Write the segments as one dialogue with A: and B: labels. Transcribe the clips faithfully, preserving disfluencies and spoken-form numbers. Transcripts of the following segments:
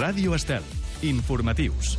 A: Ràdio Estel. Informatius.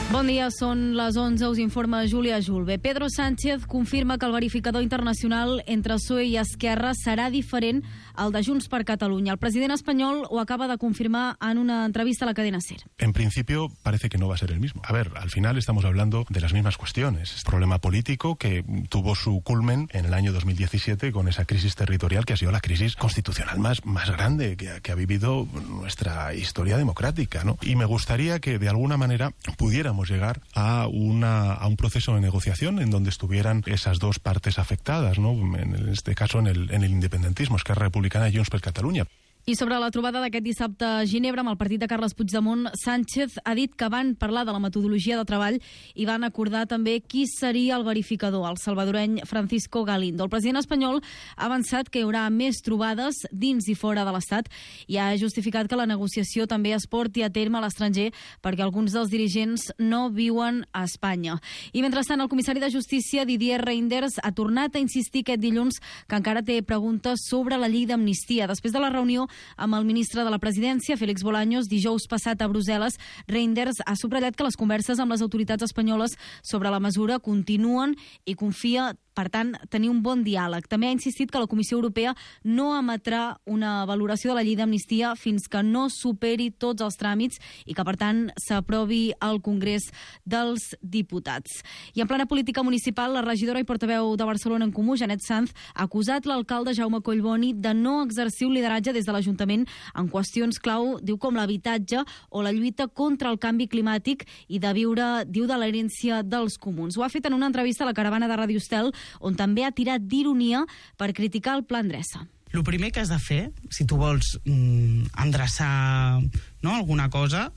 B: Bon dia, són les onze, us informa Júlia Julve. Pedro Sánchez confirma que el verificador internacional entre P S O E i Esquerra serà diferent al de Junts per Catalunya. El president espanyol ho acaba de confirmar en una entrevista a la cadena SER.
C: En principio parece que no va a ser el mismo. A ver, al final estamos hablando de las mismas cuestiones. Es un problema político que tuvo su culmen en el año dos mil diecisiete con esa crisis territorial que ha sido la crisis constitucional más, más grande que ha, que ha vivido nuestra historia democrática, ¿no? Y me gustaría que de alguna manera pudiéramos llegar a una a un proceso de negociación en donde estuvieran esas dos partes afectadas, ¿no? En este caso en el, en el independentismo, Esquerra Republicana y Junts per Catalunya.
B: I sobre la trobada d'aquest dissabte a Ginebra amb el partit de Carles Puigdemont, Sánchez ha dit que van parlar de la metodologia de treball i van acordar també qui seria el verificador, el salvadoreny Francisco Galindo. El president espanyol ha avançat que hi haurà més trobades dins i fora de l'Estat i ha justificat que la negociació també es porti a terme a l'estranger perquè alguns dels dirigents no viuen a Espanya. I mentrestant, el comissari de Justícia, Didier Reynders, ha tornat a insistir aquest dilluns que encara té preguntes sobre la llei d'amnistia. Després de la reunió amb el ministre de la Presidència, Félix Bolaños, dijous passat a Brussel·les, Reynders ha subratllat que les converses amb les autoritats espanyoles sobre la mesura continuen i confia, per tant, tenir un bon diàleg. També ha insistit que la Comissió Europea no emetrà una valoració de la llei d'amnistia fins que no superi tots els tràmits i que, per tant, s'aprovi al Congrés dels Diputats. I en plena política municipal, la regidora i portaveu de Barcelona en Comú, Janet Sanz, ha acusat l'alcalde Jaume Collboni de no exercir un lideratge des de l'Ajuntament en qüestions clau, diu, com l'habitatge o la lluita contra el canvi climàtic i de viure, diu, de l'herència dels comuns. Ho ha fet en una entrevista a la caravana de Ràdio Estel, on també ha tirat d'ironia per criticar el Pla Endreça.
D: El primer que has de fer, si tu vols mm, endreçar, no, alguna cosa,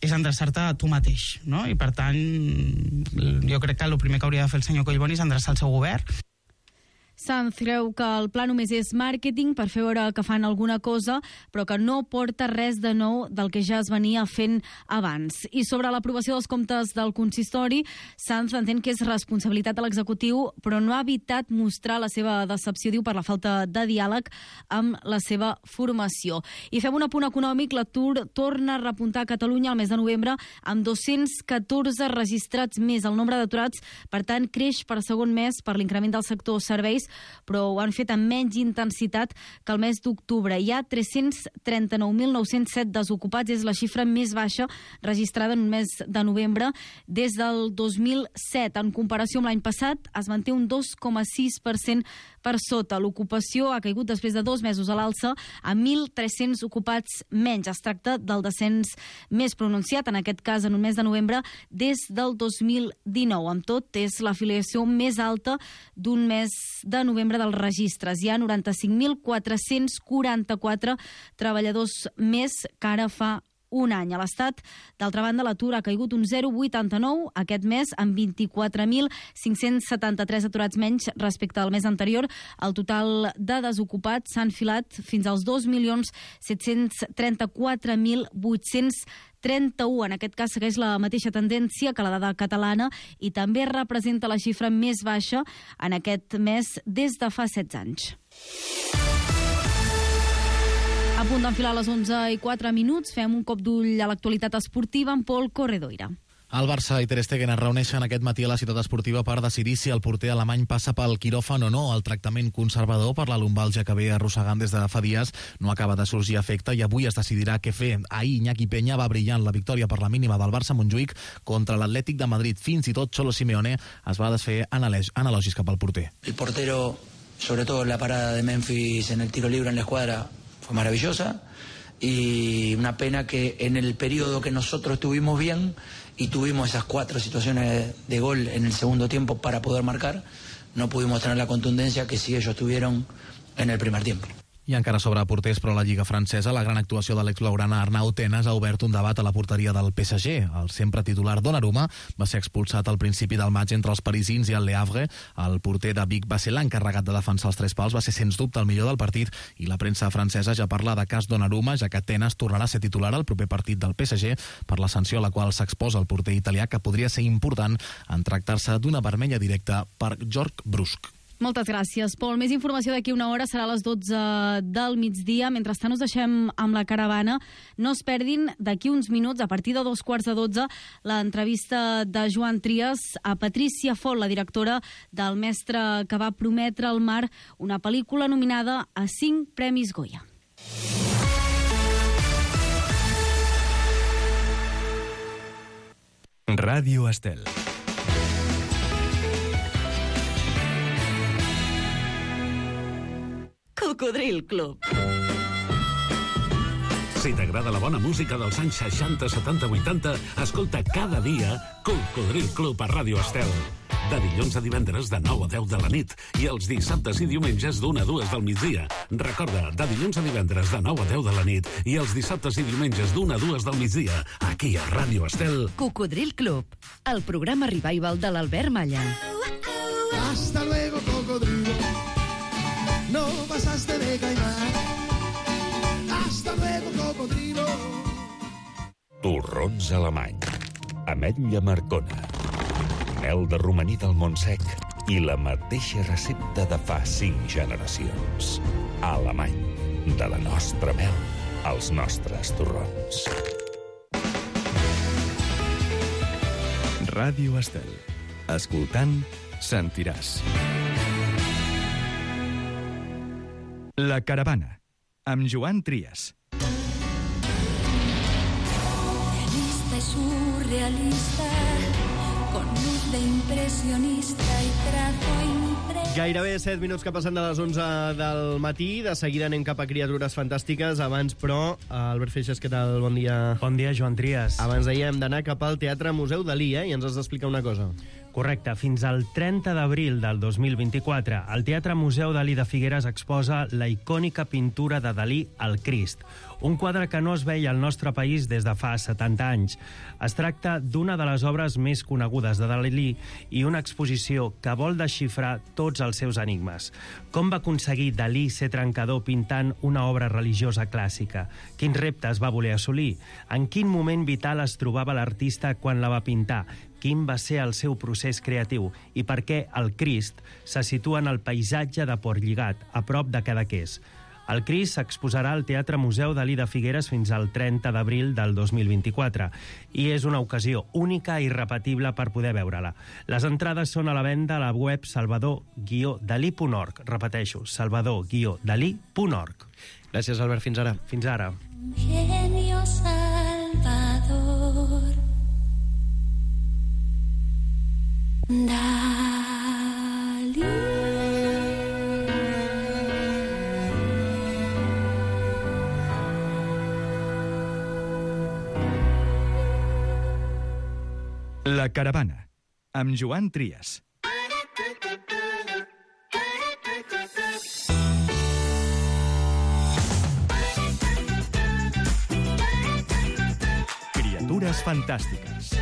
D: és endreçar-te a tu mateix, no? I per tant, jo crec que el primer que hauria de fer el senyor Collboni és endreçar el seu govern.
B: Sanz creu que el pla només és màrqueting per fer veure que fan alguna cosa, però que no porta res de nou del que ja es venia fent abans. I sobre l'aprovació dels comptes del consistori, Sanz entén que és responsabilitat de l'executiu, però no ha evitat mostrar la seva decepció, diu, per la falta de diàleg amb la seva formació. I fem un apunt econòmic. L'atur torna a repuntar a Catalunya al mes de novembre amb dos-cents catorze registrats més. El nombre d'aturats, per tant, creix per segon mes per l'increment del sector serveis, però ho han fet amb menys intensitat que el mes d'octubre. Hi ha tres-cents trenta-nou mil nou-cents set desocupats, és la xifra més baixa registrada en un mes de novembre des del dos mil set. En comparació amb l'any passat, es manté un dos coma sis per cent per sota. L'ocupació ha caigut després de dos mesos a l'alça a mil tres-cents ocupats menys. Es tracta del descens més pronunciat, en aquest cas en un mes de novembre, des del dos mil dinou. Amb tot, és l'afiliació més alta d'un mes de de novembre dels registres. Hi ha noranta-cinc mil quatre-cents quaranta-quatre treballadors més que ara fa un any. A l'Estat, d'altra banda, l'atur ha caigut un zero coma vuitanta-nou aquest mes, amb vint-i-quatre mil cinc-cents setanta-tres aturats menys respecte al mes anterior. El total de desocupats s'ha enfilat fins als dos milions set-cents trenta-quatre mil vuit-cents trenta-u. En aquest cas segueix la mateixa tendència que la dada catalana i també representa la xifra més baixa en aquest mes des de fa setze anys. A punt d'enfilar a les onze i quatre minuts, fem un cop d'ull a l'actualitat esportiva amb Pol Corredoira.
E: El Barça i Ter Stegen es reuneixen aquest matí a la ciutat esportiva per decidir si el porter alemany passa pel quiròfan o no. El tractament conservador per la lumbàlgia que ve arrossegant des de fa dies no acaba de sorgir efecte i avui es decidirà què fer. Ahir Iñaki Peña va brillar en la victòria per la mínima del Barça a Montjuïc contra l'Atlètic de Madrid. Fins i tot Cholo Simeone es va desfer analogis cap al porter.
F: El portero, sobre todo la parada de Memphis en el tiro libre en la escuadra, fue maravillosa y una pena que en el periodo que nosotros estuvimos bien y tuvimos esas cuatro situaciones de gol en el segundo tiempo para poder marcar, no pudimos tener la contundencia que sí ellos tuvieron en el primer tiempo.
E: I encara sobre porters, però a la Lliga francesa, la gran actuació de l'ex-blaugrana Arnau Tenas ha obert un debat a la porteria del P S G. El sempre titular Donnarumma va ser expulsat al principi del maig entre els parisins i el Le Havre. El porter de Vic va ser l'encarregat de defensar els tres pals, va ser sens dubte el millor del partit i la premsa francesa ja parla de cas Donnarumma, ja que Tenas tornarà a ser titular al proper partit del P S G per la sanció a la qual s'exposa el porter italià, que podria ser important en tractar-se d'una vermella directa per George Brusque.
B: Moltes gràcies, Pol. Més informació d'aquí una hora, serà a les dotze del migdia. Mentrestant us deixem amb la caravana. No es perdin d'aquí uns minuts, a partir de dos quarts de dotze, l'entrevista de Joan Trias a Patricia Font, la directora del Mestre que va prometre al mar, una pel·lícula nominada a cinc Premis Goya.
A: Ràdio Estel.
G: Cocodril Club.
H: Si t'agrada la bona música dels anys seixanta, setanta, vuitanta, escolta cada dia Cocodril Club a Ràdio Estel. De dilluns a divendres de nou a deu de la nit i els dissabtes i diumenges d'una a dues del migdia. Recorda, de dilluns a divendres de nou a deu de la nit i els dissabtes i diumenges d'una a dues del migdia, aquí a Ràdio Estel.
G: Cocodril Club, el programa revival de l'Albert Malla.
I: Hasta luego, cocodrilo. No pasaste de caimán. Hasta luego, cocodrilo.
J: Torrons alemany. Ametlla Marcona. Mel de romaní del Montsec i la mateixa recepta de fa cinc generacions. Alemany. De la nostra mel als nostres torrons.
A: Ràdio Estel. Escoltant, sentiràs. La caravana, amb Joan Trias.
K: Realista y surrealista, con luz de impressionista y trazo impresionista.
L: Gairebé set minuts que passen de les onze del matí. De seguida anem cap a Criatures Fantàstiques. Abans, però, Albert Feixes, què tal? Bon dia.
M: Bon dia, Joan Trias.
L: Abans dèiem d'anar cap al Teatre Museu Dalí, eh? I ens has d'explicar una cosa.
M: Correcte. Fins al trenta d'abril del dos mil vint-i-quatre, el Teatre Museu Dalí de Figueres exposa la icònica pintura de Dalí, El Crist, un quadre que no es veia al nostre país des de fa setanta anys. Es tracta d'una de les obres més conegudes de Dalí i una exposició que vol desxifrar tots els seus enigmes. Com va aconseguir Dalí ser trencador pintant una obra religiosa clàssica? Quins reptes va voler assolir? En quin moment vital es trobava l'artista quan la va pintar? Quin va ser el seu procés creatiu i per què el Crist se situa en el paisatge de Portlligat, a prop de Cadaqués. El Crist s'exposarà al Teatre Museu Dalí de Figueres fins al trenta d'abril del dos mil vint-i-quatre i és una ocasió única i irrepetible per poder veure-la. Les entrades són a la venda a la web salvador guió dalí punt org. Repeteixo, salvador guió dalí punt org.
L: Gràcies, Albert. Fins ara.
M: Fins ara.
K: Genio Salvador. Dalí.
A: La caravana, amb Joan Trias. Criatures fantàstiques.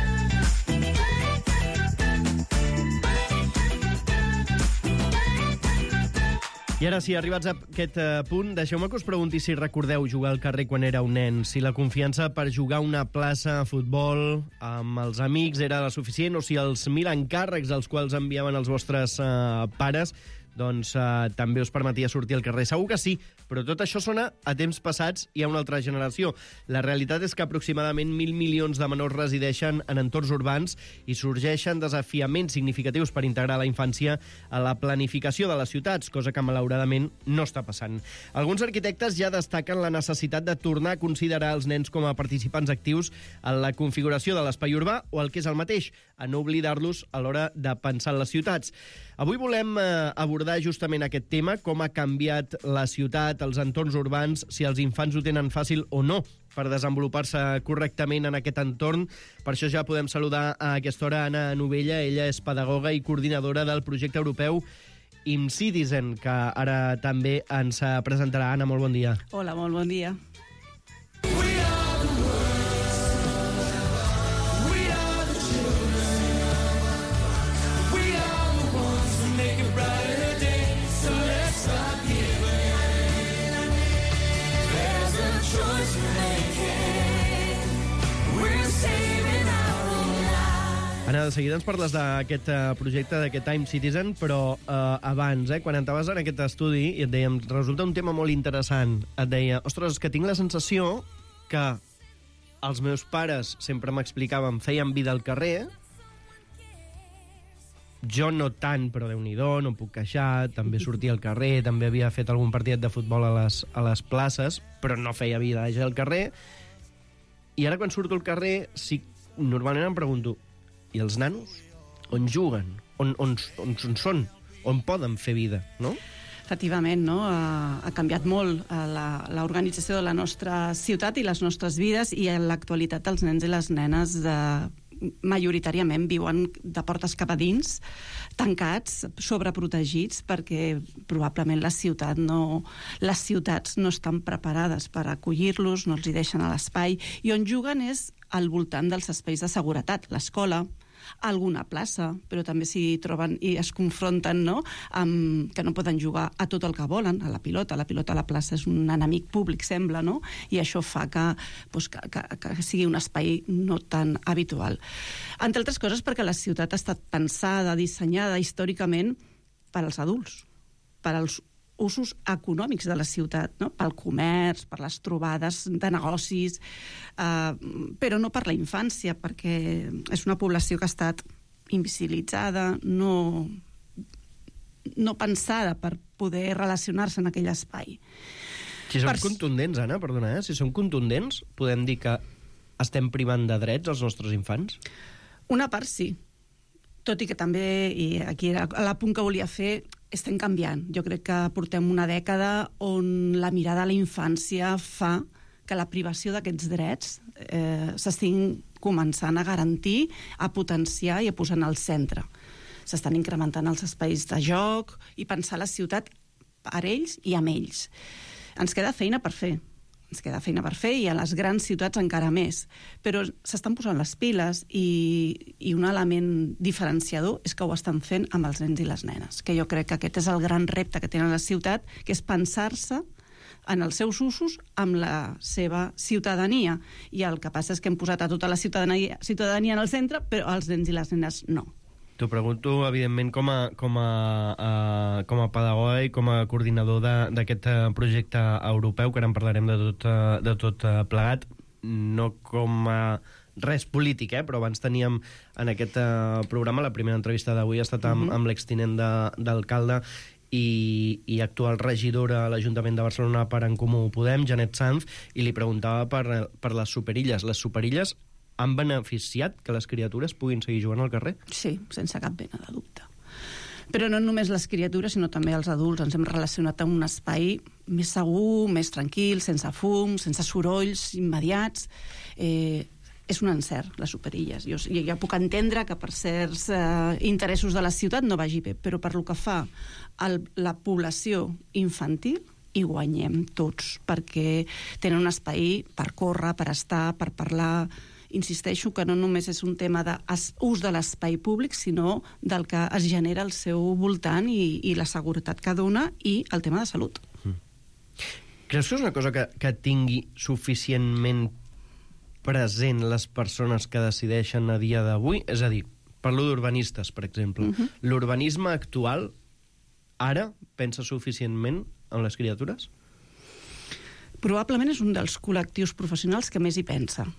L: I ara sí, arribats a aquest uh, punt, deixeu-me que us pregunti si recordeu jugar al carrer quan éreu nen, si la confiança per jugar a una plaça a futbol amb els amics era la suficient o si els mil encàrrecs als quals enviaven els vostres uh, pares doncs uh, també us permetia sortir al carrer. Segur que sí, però tot això sona a temps passats i a una altra generació. La realitat és que aproximadament mil milions de menors resideixen en entorns urbans i sorgeixen desafiaments significatius per integrar la infància a la planificació de les ciutats, cosa que malauradament no està passant. Alguns arquitectes ja destaquen la necessitat de tornar a considerar els nens com a participants actius en la configuració de l'espai urbà o el que és el mateix, a no oblidar-los a l'hora de pensar en les ciutats. Avui volem eh, abordar justament aquest tema, com ha canviat la ciutat, els entorns urbans, si els infants ho tenen fàcil o no per desenvolupar-se correctament en aquest entorn. Per això ja podem saludar a aquesta hora Anna Novella. Ella és pedagoga i coordinadora del projecte europeu ImCitizen, que ara també ens presentarà. Anna, molt bon dia.
N: Hola, molt bon dia.
L: Anna, de seguida ens parles d'aquest uh, projecte, d'aquest Time Citizen, però uh, abans, eh, quan entaves en aquest estudi i et dèiem, resulta un tema molt interessant, et deia, ostres, que tinc la sensació que els meus pares sempre m'explicaven feien vida al carrer, jo no tant, però Déu-n'hi-do, no em puc queixar, també sortia al carrer, també havia fet algun partit de futbol a les, a les places, però no feia vida ja al carrer. I ara quan surto al carrer, sí, normalment em pregunto, i els nanos? On juguen? On, on, on, on són? On poden fer vida, no?
N: Efectivament, no? Ha, ha canviat molt l'organització de la nostra ciutat i les nostres vides, i en l'actualitat els nens i les nenes de, majoritàriament viuen de portes cap a dins, tancats, sobreprotegits, perquè probablement la ciutat no, les ciutats no estan preparades per acollir-los, no els hi deixen a l'espai, i on juguen és al voltant dels espais de seguretat, l'escola, alguna plaça, però també s'hi troben i es confronten, no?, amb que no poden jugar a tot el que volen, a la pilota. La pilota a la plaça és un enemic públic, sembla, no? I això fa que, doncs, que, que, que sigui un espai no tan habitual. Entre altres coses perquè la ciutat ha estat pensada, dissenyada històricament per als adults, per als usos econòmics de la ciutat, no? Pel comerç, per les trobades de negocis, eh, però no per la infància, perquè és una població que ha estat invisibilitzada, no, no pensada per poder relacionar-se en aquell espai.
L: Si som
N: per...
L: contundents, Anna, perdona, eh? si som contundents, podem dir que estem privant de drets als nostres infants?
N: Una part sí. Tot i que també, i aquí era l'apunt que volia fer, estem canviant. Jo crec que portem una dècada on la mirada a la infància fa que la privació d'aquests drets eh, s'estiguin començant a garantir, a potenciar i a posar en el centre. S'estan incrementant els espais de joc i pensar la ciutat per ells i amb ells. Ens queda feina per fer. Ens queda feina per fer, i a les grans ciutats encara més. Però s'estan posant les piles, i, i un element diferenciador és que ho estan fent amb els nens i les nenes, que jo crec que aquest és el gran repte que tenen la ciutat, que és pensar-se en els seus usos amb la seva ciutadania. I el que passa és que hem posat a tota la ciutadania, ciutadania en el centre, però els nens i les nenes no.
L: T'ho pregunto, evidentment, com a, com a, uh, com a pedagoga i com a coordinador d'aquest uh, projecte europeu, que ara en parlarem de tot, uh, de tot uh, plegat, no com a res polític, eh? Però abans teníem en aquest uh, programa, la primera entrevista d'avui ha estat amb, mm-hmm. amb l'extinent d'alcalde i, i actual regidora a l'Ajuntament de Barcelona per En Comú Podem, Janet Sanz, i li preguntava per, per les superilles. Les superilles han beneficiat que les criatures puguin seguir jugant al carrer?
N: Sí, sense cap mena de dubte. Però no només les criatures, sinó també els adults. Ens hem relacionat amb un espai més segur, més tranquil, sense fum, sense sorolls immediats. Eh, és un encert, les superilles. Jo, jo ja puc entendre que per certs eh, interessos de la ciutat no vagi bé, però per lo que fa a la població infantil hi guanyem tots, perquè tenen un espai per córrer, per estar, per parlar. Insisteixo que no només és un tema d'ús de l'espai públic, sinó del que es genera al seu voltant i, i la seguretat que dona, i el tema de salut. Mm.
L: Creus que és una cosa que, que tingui suficientment present les persones que decideixen a dia d'avui? És a dir, parlo d'urbanistes, per exemple. Mm-hmm. L'urbanisme actual ara pensa suficientment en les criatures?
N: Probablement és un dels col·lectius professionals que més hi pensa.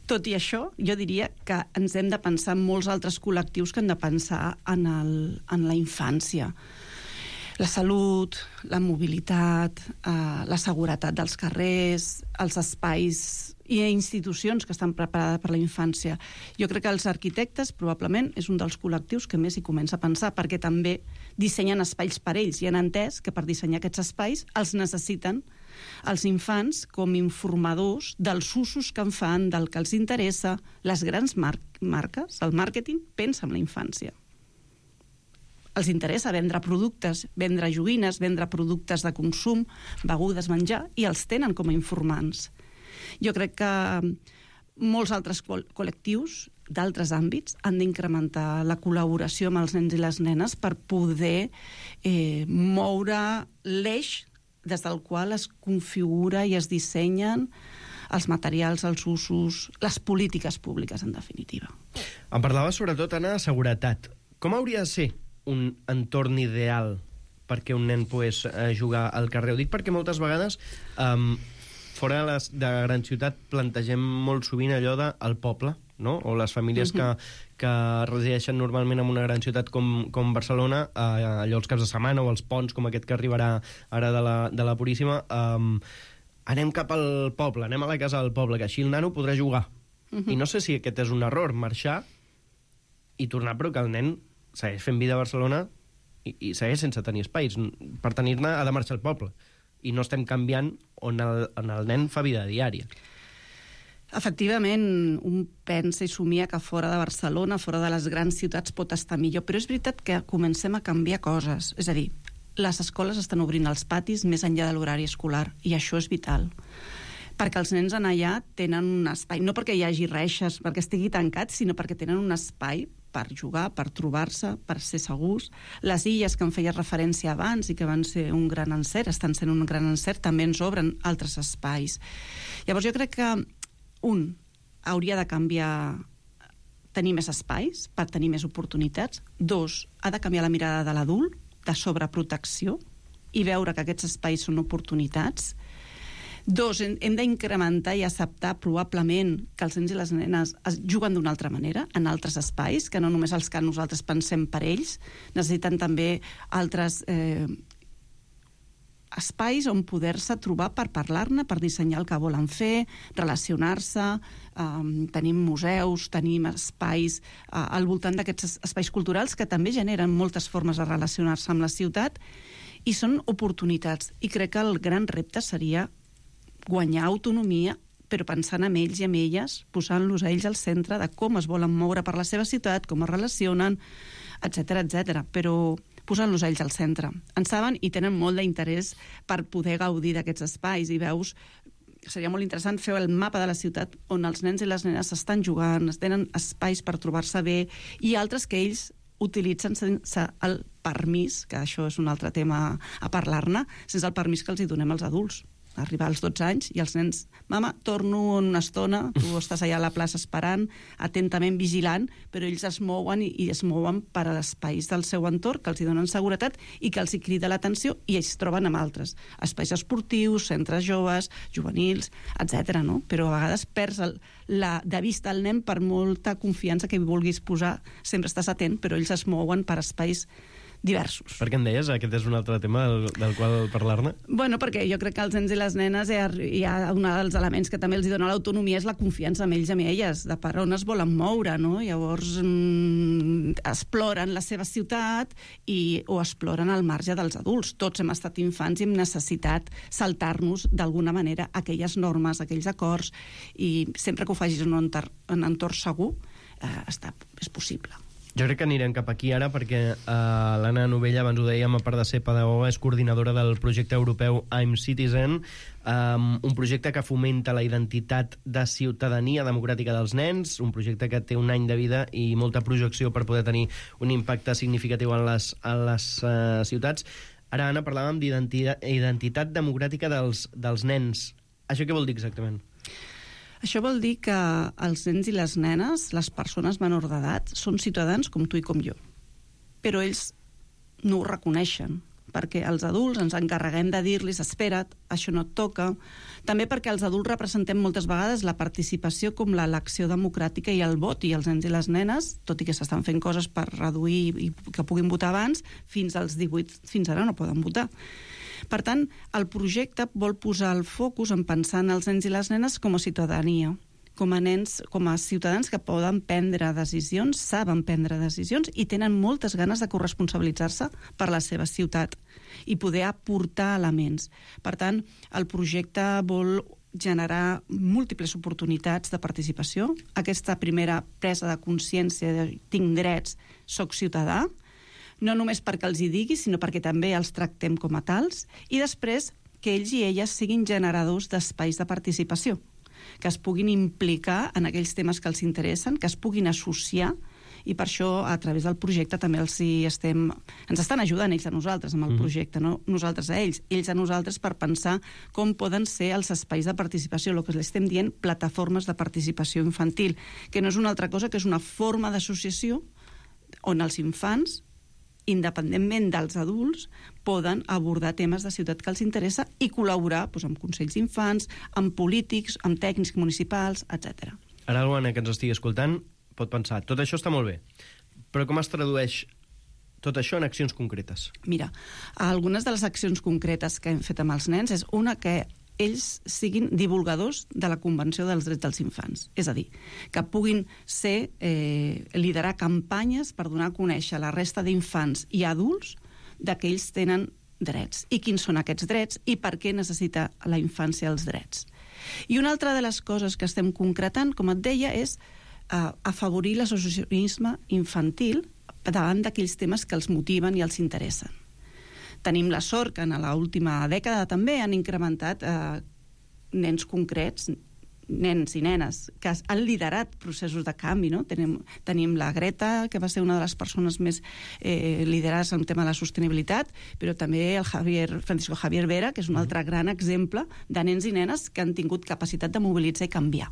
N: Tot i això, jo diria que ens hem de pensar en molts altres col·lectius que hem de pensar en, el, en la infància. La salut, la mobilitat, eh, la seguretat dels carrers, els espais i institucions que estan preparades per la infància. Jo crec que els arquitectes probablement és un dels col·lectius que més hi comença a pensar, perquè també dissenyen espais per ells i han entès que per dissenyar aquests espais els necessiten els infants com informadors dels usos que en fan, del que els interessa. Les grans mar marques, el màrqueting, pensa en la infància. Els interessa vendre productes, vendre joguines, vendre productes de consum, begudes, menjar, i els tenen com a informants. Jo crec que molts altres col·lectius d'altres àmbits han d'incrementar la col·laboració amb els nens i les nenes per poder eh, moure l'eix des del qual es configura i es dissenyen els materials, els usos, les polítiques públiques, en definitiva.
L: Em parlava sobretot, Anna, de seguretat. Com hauria de ser un entorn ideal perquè un nen pogués eh, jugar al carrer? Ho dic perquè moltes vegades um, fora de, les, de la gran ciutat plantegem molt sovint allò del poble, no? O les famílies uh-huh. que, que resideixen normalment en una gran ciutat com, com Barcelona, eh, allò els caps de setmana o els ponts com aquest que arribarà ara de la, de la Puríssima, um, anem cap al poble, anem a la casa del poble, que així el nano podrà jugar. Uh-huh. I no sé si aquest és un error, marxar i tornar, però que el nen segueix fent vida a Barcelona i, i segueix sense tenir espais. Per tenir-ne ha de marxar al poble. I no estem canviant on el, on el nen fa vida diària.
N: Efectivament, un pensa i somia que fora de Barcelona, fora de les grans ciutats, pot estar millor, però és veritat que comencem a canviar coses. És a dir, les escoles estan obrint els patis més enllà de l'horari escolar, i això és vital. Perquè els nens en allà tenen un espai, no perquè hi hagi reixes, perquè estigui tancat, sinó perquè tenen un espai per jugar, per trobar-se, per ser segurs. Les illes que em feies referència abans i que van ser un gran encert, estan sent un gran encert, també ens obren altres espais. Llavors jo crec que, un, hauria de canviar, tenir més espais per tenir més oportunitats. Dos, ha de canviar la mirada de l'adult, de sobreprotecció, i veure que aquests espais són oportunitats. Dos, hem d'incrementar i acceptar probablement que els nens i les nenes es juguen d'una altra manera, en altres espais, que no només els que nosaltres pensem per ells, necessiten també altres eh, espais on poder-se trobar per parlar-ne, per dissenyar el que volen fer, relacionar-se, eh, tenim museus, tenim espais eh, al voltant d'aquests espais culturals que també generen moltes formes de relacionar-se amb la ciutat i són oportunitats. I crec que el gran repte seria guanyar autonomia, però pensant en ells i en elles, posant-los a ells al centre de com es volen moure per la seva ciutat, com es relacionen, etcètera, etcètera. Però posant-los a ells al centre. En saben i tenen molt d'interès per poder gaudir d'aquests espais, i veus, seria molt interessant fer el mapa de la ciutat on els nens i les nenes estan jugant, tenen espais per trobar-se bé, i altres que ells utilitzen sense el permís, que això és un altre tema a parlar-ne, sense el permís que els hi donem als adults. Arribar als dotze anys i els nens, mama, torno en una estona, tu estàs allà a la plaça esperant, atentament vigilant, però ells es mouen i, i es mouen per a l'espais del seu entorn, que els hi donen seguretat i que els hi crida l'atenció, i ells troben amb altres. Espais esportius, centres joves, juvenils, etcètera, no? Però a vegades perds el, la, de vista el nen per molta confiança que hi vulguis posar, sempre estàs atent, però ells es mouen per espais diversos.
L: Per què em deies? Aquest és un altre tema del, del qual parlar-ne?
N: Bueno, perquè jo crec que els nens i les nenes hi ha, hi ha un dels elements que també els dona l'autonomia és la confiança en ells i en elles, de per on es volen moure, no? Llavors mmm, exploren la seva ciutat i, o exploren al marge dels adults. Tots hem estat infants i hem necessitat saltar-nos d'alguna manera aquelles normes, aquells acords, i sempre que ho facis en un entorn, en un entorn segur, eh, està, és possible.
L: Jo crec que anirem cap aquí ara perquè uh, l'Anna Novella, abans ho dèiem, a part de ser pedagoga, és coordinadora del projecte europeu I'm Citizen, um, un projecte que fomenta la identitat de ciutadania democràtica dels nens, un projecte que té un any de vida i molta projecció per poder tenir un impacte significatiu en les, en les uh, ciutats. Ara, Anna, parlàvem d'identitat democràtica dels, dels nens. Això què vol dir exactament?
N: Això vol dir que els nens i les nenes, les persones menors d'edat, són ciutadans com tu i com jo. Però ells no ho reconeixen, perquè els adults ens encarreguem de dir-los espera't, això no et toca. També perquè els adults representem moltes vegades la participació com l'elecció democràtica i el vot, i els nens i les nenes, tot i que s'estan fent coses per reduir i que puguin votar abans, fins als divuit, fins ara no poden votar. Per tant, el projecte vol posar el focus en pensar en els nens i les nenes com a ciutadania, com a nens, com a ciutadans que poden prendre decisions, saben prendre decisions i tenen moltes ganes de corresponsabilitzar-se per la seva ciutat i poder aportar elements. Per tant, el projecte vol generar múltiples oportunitats de participació. Aquesta primera presa de consciència de tinc drets, soc ciutadà, no només perquè els hi digui, sinó perquè també els tractem com a tals, i després que ells i elles siguin generadors d'espais de participació, que es puguin implicar en aquells temes que els interessen, que es puguin associar I per això, a través del projecte, també els hi estem... Ens estan ajudant ells a nosaltres amb el projecte, no nosaltres a ells, ells a nosaltres, per pensar com poden ser els espais de participació, el que l'estem dient plataformes de participació infantil, que no és una altra cosa que és una forma d'associació on els infants, independentment dels adults, poden abordar temes de ciutat que els interessa i col·laborar doncs, amb consells d'infants, amb polítics, amb tècnics municipals, etcètera.
L: Ara algú que ens estigui escoltant pot pensar, tot això està molt bé, però com es tradueix tot això en accions concretes?
N: Mira, algunes de les accions concretes que hem fet amb els nens és una que ells siguin divulgadors de la Convenció dels Drets dels Infants. És a dir, que puguin ser, eh, liderar campanyes per donar a conèixer a la resta d'infants i adults de que ells tenen drets i quins són aquests drets i per què necessita la infància els drets. I una altra de les coses que estem concretant, com et deia, és eh, afavorir l'associacionisme infantil davant d'aquells temes que els motiven i els interessen. Tenim la sort que en l'última dècada també han incrementat eh, nens concrets, nens i nenes, que han liderat processos de canvi. No? Tenim, tenim la Greta, que va ser una de les persones més eh, liderades en el tema de la sostenibilitat, però també el Javier, Francisco Javier Vera, que és un altre gran exemple de nens i nenes que han tingut capacitat de mobilitzar i canviar.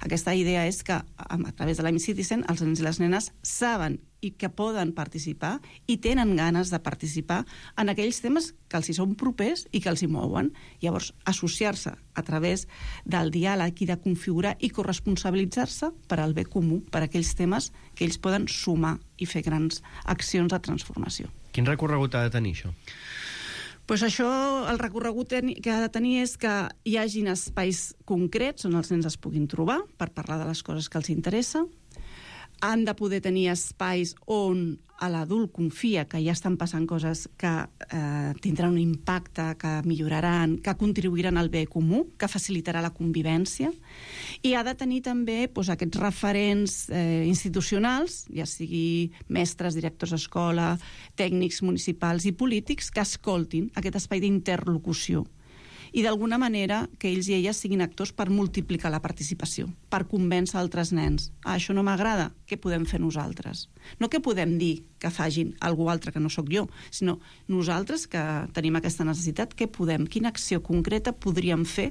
N: Aquesta idea és que, a través de l'M Citizen, els nens i les nenes saben i que poden participar i tenen ganes de participar en aquells temes que els hi són propers i que els hi mouen. Llavors, associar-se a través del diàleg i de configurar i corresponsabilitzar-se per al bé comú, per a aquells temes que ells poden sumar i fer grans accions de transformació.
L: Quin recorregut ha de tenir això?
N: Pues això, el recorregut que ha de tenir és que hi hagin espais concrets on els nens es puguin trobar per parlar de les coses que els interessa. Han de poder tenir espais on l'adult confia que ja estan passant coses que eh, tindran un impacte, que milloraran, que contribuiran al bé comú, que facilitarà la convivència. I ha de tenir també doncs, aquests referents eh, institucionals, ja sigui mestres, directors d'escola, tècnics municipals i polítics, que escoltin aquest espai d'interlocució. I d'alguna manera que ells i elles siguin actors per multiplicar la participació, per convèncer altres nens. Ah, això no m'agrada, què podem fer nosaltres? No que podem dir que facin algú altre que no sóc jo, sinó nosaltres que tenim aquesta necessitat, què podem, quina acció concreta podríem fer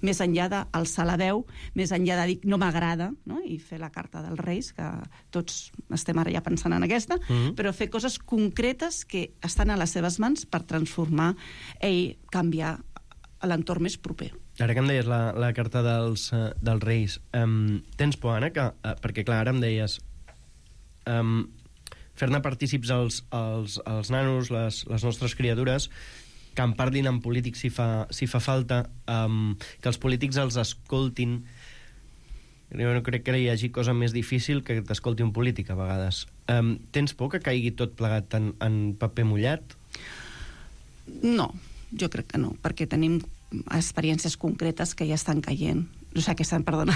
N: més enllà d'alçar la veu, més enllà de dir no m'agrada, no? I fer la carta dels Reis, que tots estem ara ja pensant en aquesta, mm-hmm. però fer coses concretes que estan a les seves mans per transformar i canviar a l'entorn més proper.
L: Ara que em deies la, la carta dels, uh, dels Reis, um, tens por, Anna, que, uh, perquè clar, ara em deies um, fer-ne partícips els, els, els nanos, les, les nostres criatures, que en parlin amb polítics si fa, si fa falta, um, que els polítics els escoltin. Jo no crec que hi hagi cosa més difícil que t'escolti un polític, a vegades. Um, tens por que caigui tot plegat en, en paper mullat?
N: No, jo crec que no, perquè tenim experiències concretes que ja estan caient. O sigui, que estan, perdona,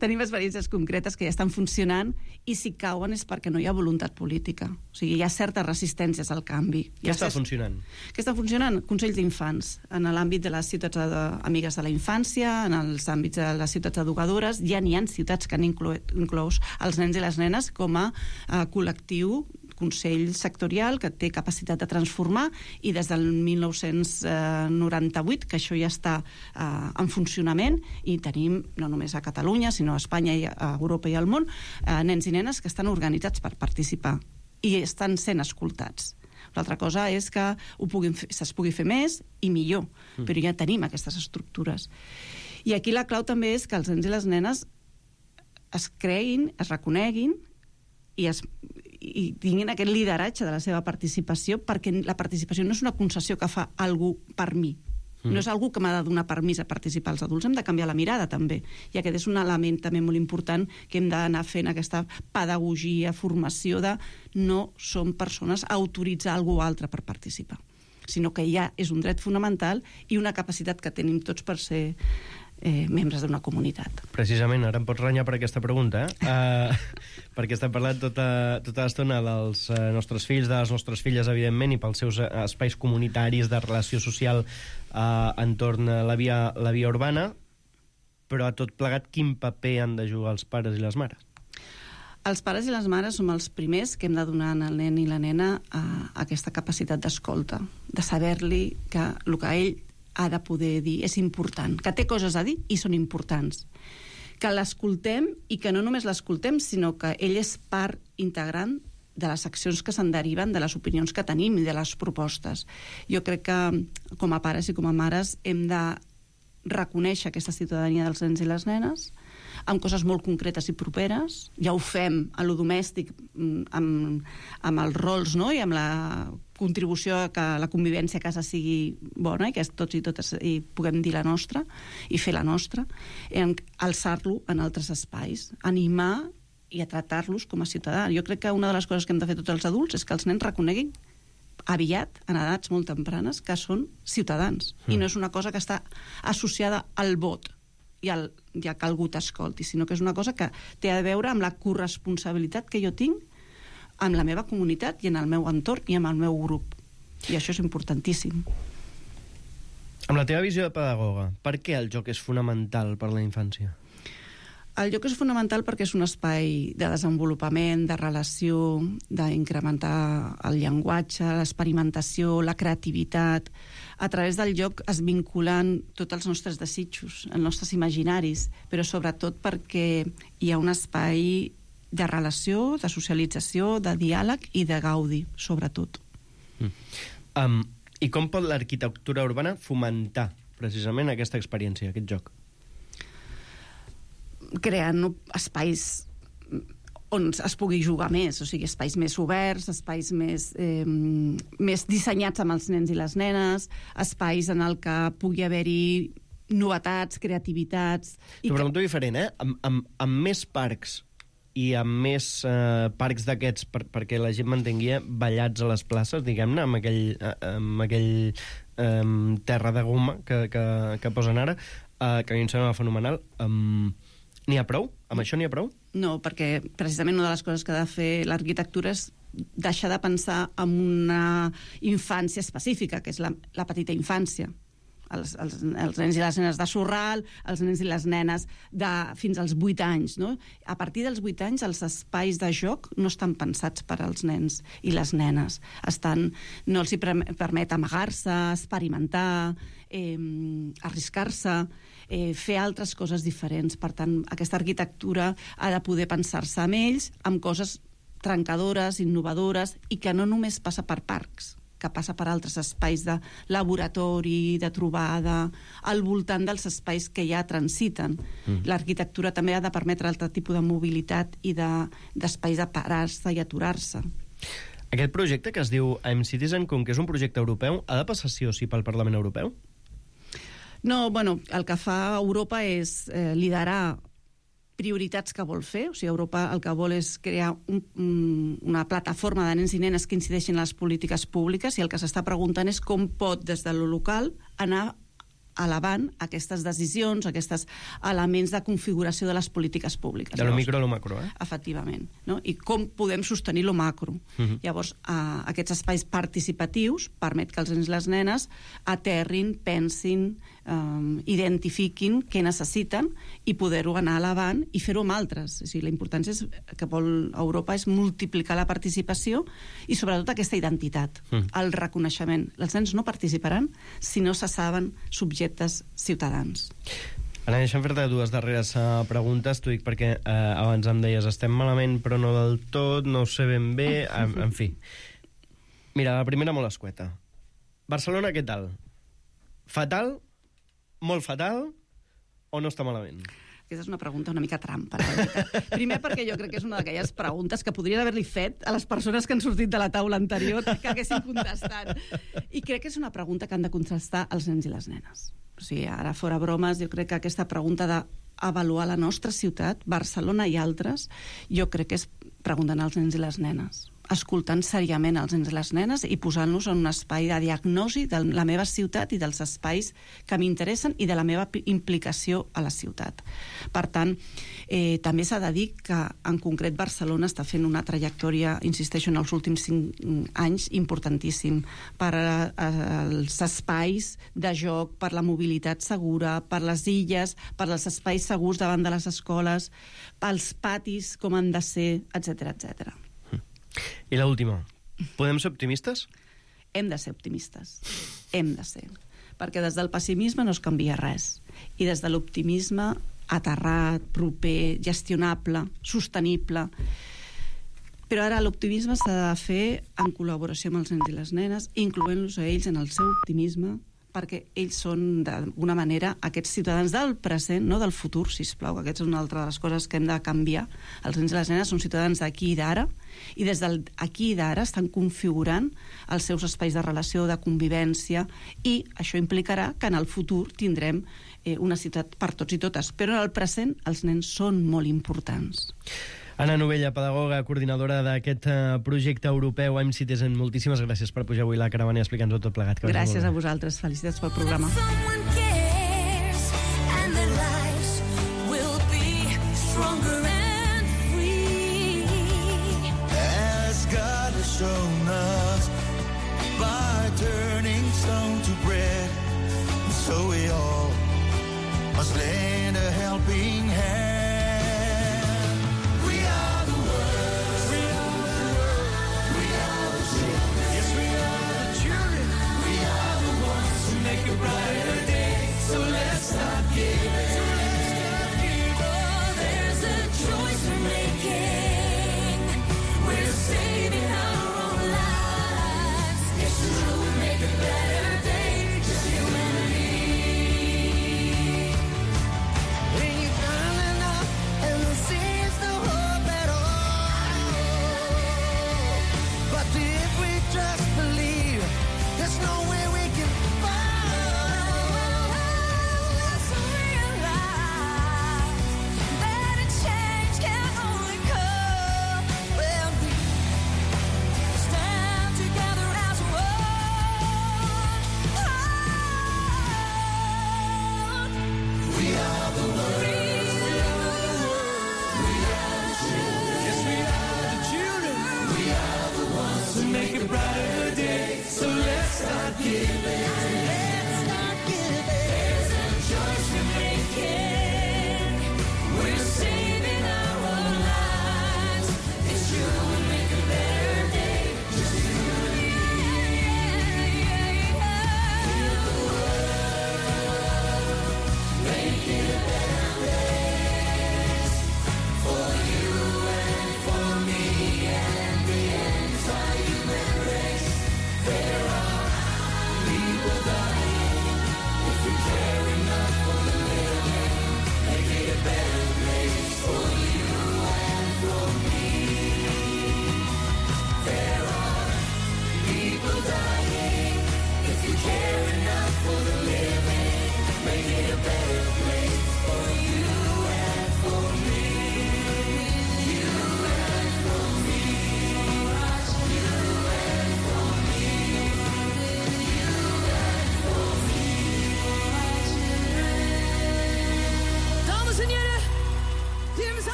N: tenim experiències concretes que ja estan funcionant i si cauen és perquè no hi ha voluntat política. O sigui, hi ha certes resistències al canvi.
L: Què està certs... funcionant?
N: Què està funcionant? Consells d'infants. En l'àmbit de les ciutats de... amigues de la infància, en els àmbits de les ciutats educadores, ja n'hi ha ciutats que han inclòs els nens i les nenes com a uh, col·lectiu, consell sectorial que té capacitat de transformar i des del mil nou-cents noranta-vuit que això ja està eh, en funcionament i tenim no només a Catalunya sinó a Espanya i a Europa i al món eh, nens i nenes que estan organitzats per participar i estan sent escoltats. L'altra cosa és que ho puguin fer, es pugui fer més i millor, mm. però ja tenim aquestes estructures. I aquí la clau també és que els nens i les nenes es creguin, es reconeguin i es i tinguin aquest lideratge de la seva participació, perquè la participació no és una concessió que fa algú per mi. Mm. No és algú que m'ha de donar permís a participar. Els adults hem de canviar la mirada, també. I aquest és un element també molt important que hem d'anar fent aquesta pedagogia, formació de no som persones a autoritzar algú altre per participar, sinó que ja és un dret fonamental i una capacitat que tenim tots per ser Eh, membres d'una comunitat.
L: Precisament, ara em pots renyar per aquesta pregunta, eh? uh, perquè estem parlant tota, tota l'estona dels uh, nostres fills, de les nostres filles, evidentment, i pels seus uh, espais comunitaris de relació social uh, entorn a la via, la via urbana, però a tot plegat, quin paper han de jugar els pares i les mares?
N: Els pares i les mares som els primers que hem de donar al nen i la nena a, a aquesta capacitat d'escolta, de saber-li que el que ell ha de poder dir és important, que té coses a dir i són importants, que l'escoltem i que no només l'escoltem, sinó que ell és part integrant de les accions que se'n deriven, de les opinions que tenim i de les propostes. Jo crec que com a pares i com a mares hem de reconèixer aquesta ciutadania dels nens i les nenes amb coses molt concretes i properes. Ja ho fem a lo domèstic amb, amb els rols, no? I amb la contribució a que la convivència a casa sigui bona i que tots i totes i puguem dir la nostra i fer la nostra, en alçar-lo en altres espais, animar i a tractar-los com a ciutadà. Jo crec que una de les coses que hem de fer tots els adults és que els nens reconeguin aviat, en edats molt tempranes, que són ciutadans. Mm. I no és una cosa que està associada al vot i al, i a que algú t'escolti, sinó que és una cosa que té a veure amb la corresponsabilitat que jo tinc amb la meva comunitat i en el meu entorn i amb el meu grup. I això és importantíssim.
L: Amb la teva visió de pedagoga, per què el joc és fonamental per a la infància?
N: El joc és fonamental perquè és un espai de desenvolupament, de relació, d'incrementar el llenguatge, l'experimentació, la creativitat. A través del joc es vinculen tots els nostres desitjos, els nostres imaginaris, però sobretot perquè hi ha un espai de relació, de socialització, de diàleg i de gaudi, sobretot.
L: Mm. Um, I com pot l'arquitectura urbana fomentar precisament aquesta experiència, aquest joc?
N: Creant espais on es pugui jugar més, o sigui, espais més oberts, espais més, eh, més dissenyats amb els nens i les nenes, espais en el que pugui haver-hi novetats, creativitats...
L: T'ho pregunto que... diferent, eh? Amb, amb, amb més parcs i amb més eh, parcs d'aquests per, perquè la gent mantengui ballats a les places, diguem-ne, amb aquell, amb aquell eh, terra de goma que, que, que posen ara, eh, que a mi em sembla fenomenal. Um, n'hi ha prou? Amb això n'hi ha prou?
N: No, perquè precisament una de les coses que ha de fer l'arquitectura és deixar de pensar en una infància específica, que és la, la petita infància. Els, els, els nens i les nenes de Sorral, els nens i les nenes de fins als vuit anys. No? A partir dels vuit anys, els espais de joc no estan pensats per als nens i les nenes. Estan, no els hi permet amagar-se, experimentar, eh, arriscar-se, eh, fer altres coses diferents. Per tant, aquesta arquitectura ha de poder pensar-se amb ells, amb coses trencadores, innovadores, i que no només passa per parcs, que passa per altres espais de laboratori, de trobada, al voltant dels espais que ja transiten. Mm. L'arquitectura també ha de permetre altre tipus de mobilitat i d'espais de, de parar-se i aturar-se.
L: Aquest projecte que es diu I'm Citizen, com que és un projecte europeu, ha de passar sí o sí pel Parlament Europeu?
N: No, bueno, el que fa Europa és eh, liderar prioritats que vol fer. O sigui, Europa el que vol és crear un, un, una plataforma de nens i nenes que incideixin en les polítiques públiques, i el que s'està preguntant és com pot, des de lo local, anar elevant aquestes decisions, aquests elements de configuració de les polítiques públiques.
L: De lo micro a lo macro, eh?
N: Efectivament. No? I com podem sostenir lo macro. Uh-huh. Llavors, eh, aquests espais participatius permet que els nens i les nenes aterrin, pensin, eh, identifiquin què necessiten i poder-ho anar elevant i fer-ho amb altres. O sigui, la importància és, que vol Europa és multiplicar la participació i sobretot aquesta identitat, uh-huh. el reconeixement. Els nens no participaran si no se saben subjectes ciutadans.
L: Ara, deixa'm fer-te dues darreres uh, preguntes. T'ho dic perquè uh, abans em deies estem malament però no del tot, no ho sé ben bé, en, en fi. Mira, la primera molt escueta. Barcelona, què tal? Fatal? Molt fatal? O no està malament?
N: Aquesta és una pregunta una mica trampa. Primer perquè jo crec que és una d'aquelles preguntes que podrien haver-li fet a les persones que han sortit de la taula anterior que haguessin contestat. I crec que és una pregunta que han de contestar els nens i les nenes. O sigui, ara fora bromes, jo crec que aquesta pregunta d'avaluar la nostra ciutat, Barcelona i altres, jo crec que és preguntant als nens i les nenes. escoltant seriament els nens i les nenes i posant-los en un espai de diagnosi de la meva ciutat i dels espais que m'interessen i de la meva implicació a la ciutat. Per tant, eh, també s'ha de dir que en concret Barcelona està fent una trajectòria, insisteixo, en els últims cinc anys importantíssim per als espais de joc, per la mobilitat segura, per les illes, per als espais segurs davant de les escoles, pels patis com han de ser, etcètera, etcètera.
L: I l'última, podem ser optimistes?
N: Hem de ser optimistes, hem de ser. Perquè des del pessimisme no es canvia res. I des de l'optimisme aterrat, proper, gestionable, sostenible. Però ara l'optimisme s'ha de fer en col·laboració amb els nens i les nenes, incloent-los a ells en el seu optimisme, perquè ells són, d'alguna manera, aquests ciutadans del present, no del futur, sisplau, que aquesta és una altra de les coses que hem de canviar. Els nens i les nenes són ciutadans d'aquí i d'ara, i des d'aquí i d'ara estan configurant els seus espais de relació, de convivència, i això implicarà que en el futur tindrem eh, una ciutat per tots i totes. Però en el present els nens són molt importants.
L: Anna Novella, pedagoga, coordinadora d'aquest projecte europeu I'm Citizen, moltíssimes gràcies per pujar avui a la caravana i explicar-nos tot plegat.
N: Gràcies a vosaltres, felicitats pel programa.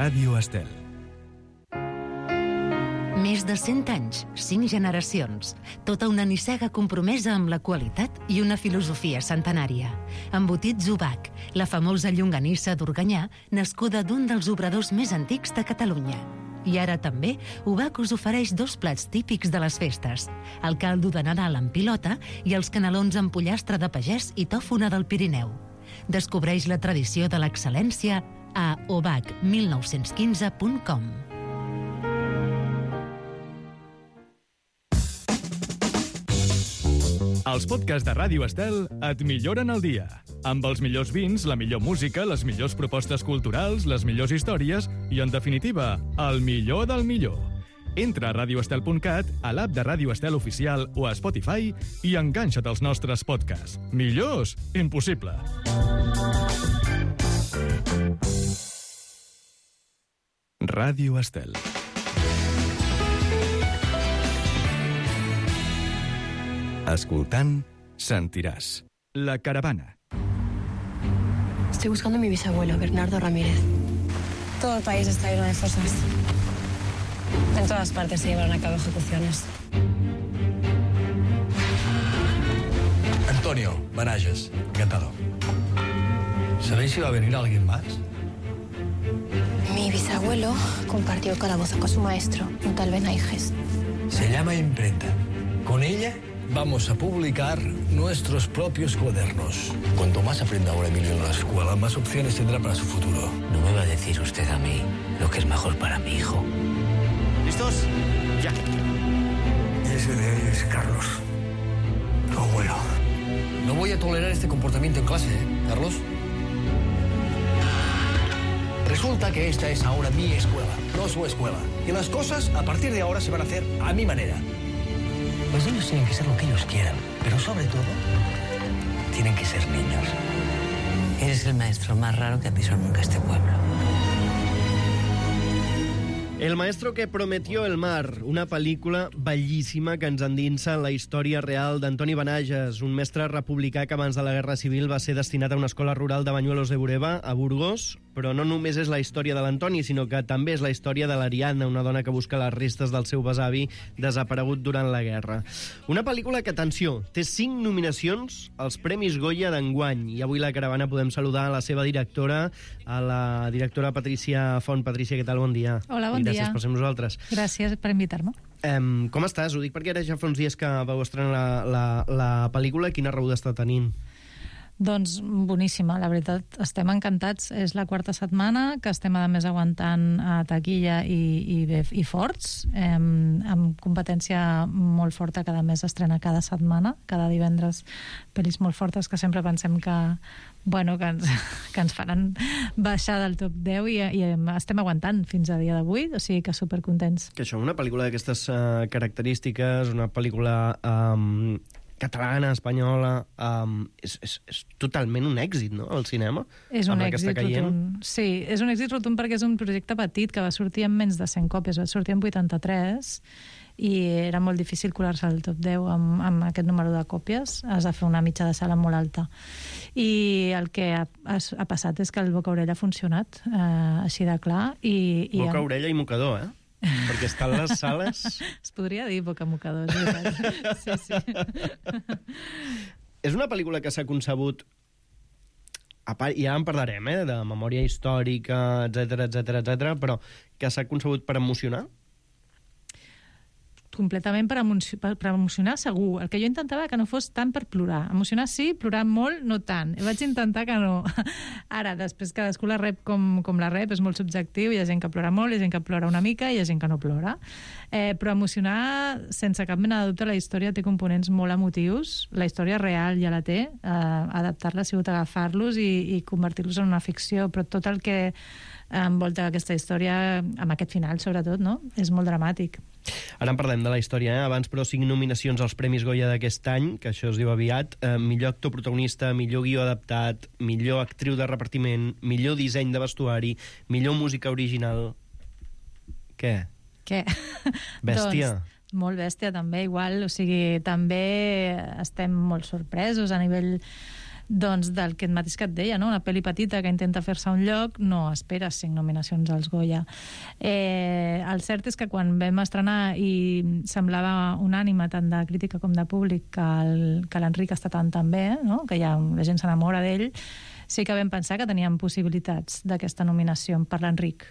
A: Ràdio Estel.
O: Més de cent anys, cinc generacions, tota una nissaga compromesa amb la qualitat i una filosofia centenària. Embotits Ubac, la famosa llonganissa d'Organyà, nascuda d'un dels obradors més antics de Catalunya. I ara també, Ubac us ofereix dos plats típics de les festes, el caldo de Nadal amb pilota i els canelons amb pollastre de pagès i tòfona del Pirineu. Descobreix la tradició de l'excel·lència a ubac mil nou-cents quinze punt com.
A: Els podcasts de Ràdio Estel et milloren el dia. Amb els millors vins, la millor música, les millors propostes culturals, les millors històries i, en definitiva, el millor del millor. Entra a radio estel punt cat, a l'app de Ràdio Estel Oficial o a Spotify i enganxa't als nostres podcasts. Millors? Impossible. Ràdio Estel. Escoltant, sentiràs. La caravana.
P: Estoy buscando a mi bisabuelo, Bernardo Ramírez. Todo el país está lleno de fosas. En todas partes se llevan a cabo ejecuciones.
Q: Antonio Barajas, encantado. ¿Sabéis si va a venir alguien más?
P: Mi bisabuelo compartió el calabozo con su maestro, un tal Benaiges.
Q: Se llama imprenta. Con ella vamos a publicar nuestros propios cuadernos. Cuanto más aprenda ahora Emilio en la escuela, más opciones tendrá para su futuro.
R: No me va a decir usted a mí lo que es mejor para mi hijo.
Q: ¿Listos? Ya. Y ese de ahí es Carlos, tu abuelo. No voy a tolerar este comportamiento en clase, ¿eh, Carlos? Resulta que esta es ahora mi escuela, no su escuela. Y las cosas, a partir de ahora, se van a hacer a mi manera. Los niños tienen que ser lo que ellos quieran, pero sobre todo, tienen que ser niños.
R: Eres el maestro más raro que ha pisado nunca este pueblo.
L: El maestro que prometió el mar, una pel·lícula bellíssima que ens endinsa en la història real d'Antoni Benaiges, un mestre republicà que abans de la Guerra Civil va ser destinat a una escola rural de Bañuelos de Bureba, a Burgos, però no només és la història de l'Antoni, sinó que també és la història de l'Ariadna, una dona que busca les restes del seu besavi desaparegut durant la guerra. Una pel·lícula que, atenció, té cinc nominacions als Premis Goya d'enguany, i avui la caravana podem saludar a la seva directora, a la directora Patricia Font. Patricia, què tal? Bon dia.
S: Hola, bon
L: I
S: dia.
L: gràcies per ser amb nosaltres.
S: Gràcies per invitar-me.
L: Um, com estàs? Ho dic perquè ara ja fa uns dies que vau estrenar la, la, la pel·lícula. Quina rebuda està tenint?
S: Doncs boníssima, la veritat, estem encantats. És la quarta setmana que estem, a més, aguantant a taquilla i, i, bé, i forts, eh, amb competència molt forta, cada mes estrena cada setmana, cada divendres, pel·lis molt fortes que sempre pensem que, bueno, que, ens, que ens faran baixar del top deu i, i estem aguantant fins a dia d'avui, o sigui que supercontents.
L: Que això, una pel·lícula d'aquestes uh, característiques, una pel·lícula um, catalana, espanyola, um, és, és, és totalment un èxit, no?, al cinema.
S: És un
L: amb
S: èxit rotund. Sí, és un èxit rotund perquè és un projecte petit que va sortir amb menys de cent còpies, va sortir en vuitanta-tres i era molt difícil colar-se al top deu amb, amb aquest número de còpies. Has de fer una mitja de sala molt alta. I el que ha, ha, ha passat és que el boca-orella ha funcionat, eh, així de clar. I, i
L: boca-orella i mocador, eh? Perquè estan les sales...
S: Es podria dir boca-mocador, és veritat. Sí, sí.
L: És una pel·lícula que s'ha concebut, i ara en parlarem, eh, de memòria històrica, etcètera, etcètera, etcètera, però que s'ha concebut per emocionar?
S: Completament per, emocio per, per emocionar, segur. El que jo intentava que no fos tant per plorar. Emocionar sí, plorar molt, no tant. Vaig intentar que no. Ara, després cadascú la rep com, com la rep, és molt subjectiu, hi ha gent que plora molt, hi ha gent que plora una mica, i hi ha gent que no plora. Eh, però emocionar, sense cap mena de dubte, la història té components molt emotius. La història real ja la té. Eh, adaptar-la ha sigut agafar-los i, i convertir-los en una ficció, però tot el que envolta aquesta història, amb aquest final, sobretot, no?, és molt dramàtic.
L: Ara en parlem de la història, eh? Abans, però, cinc nominacions als Premis Goya d'aquest any, que això es diu aviat. Eh, millor actor protagonista, millor guió adaptat, millor actriu de repartiment, millor disseny de vestuari, millor música original... Què?
S: Què?
L: Bèstia.
S: Doncs, molt bèstia, també, igual. O sigui, també estem molt sorpresos a nivell... doncs del que mateix que et deia, no? Una pel·li petita que intenta fer-se un lloc, no esperes cinc nominacions als Goya. Eh, el cert és que quan vam estrenar i semblava unànime tant de crítica com de públic que l'Enric està tan tan bé, no?, que ja la gent s'enamora d'ell, sí que vam pensar que teníem possibilitats d'aquesta nominació per l'Enric.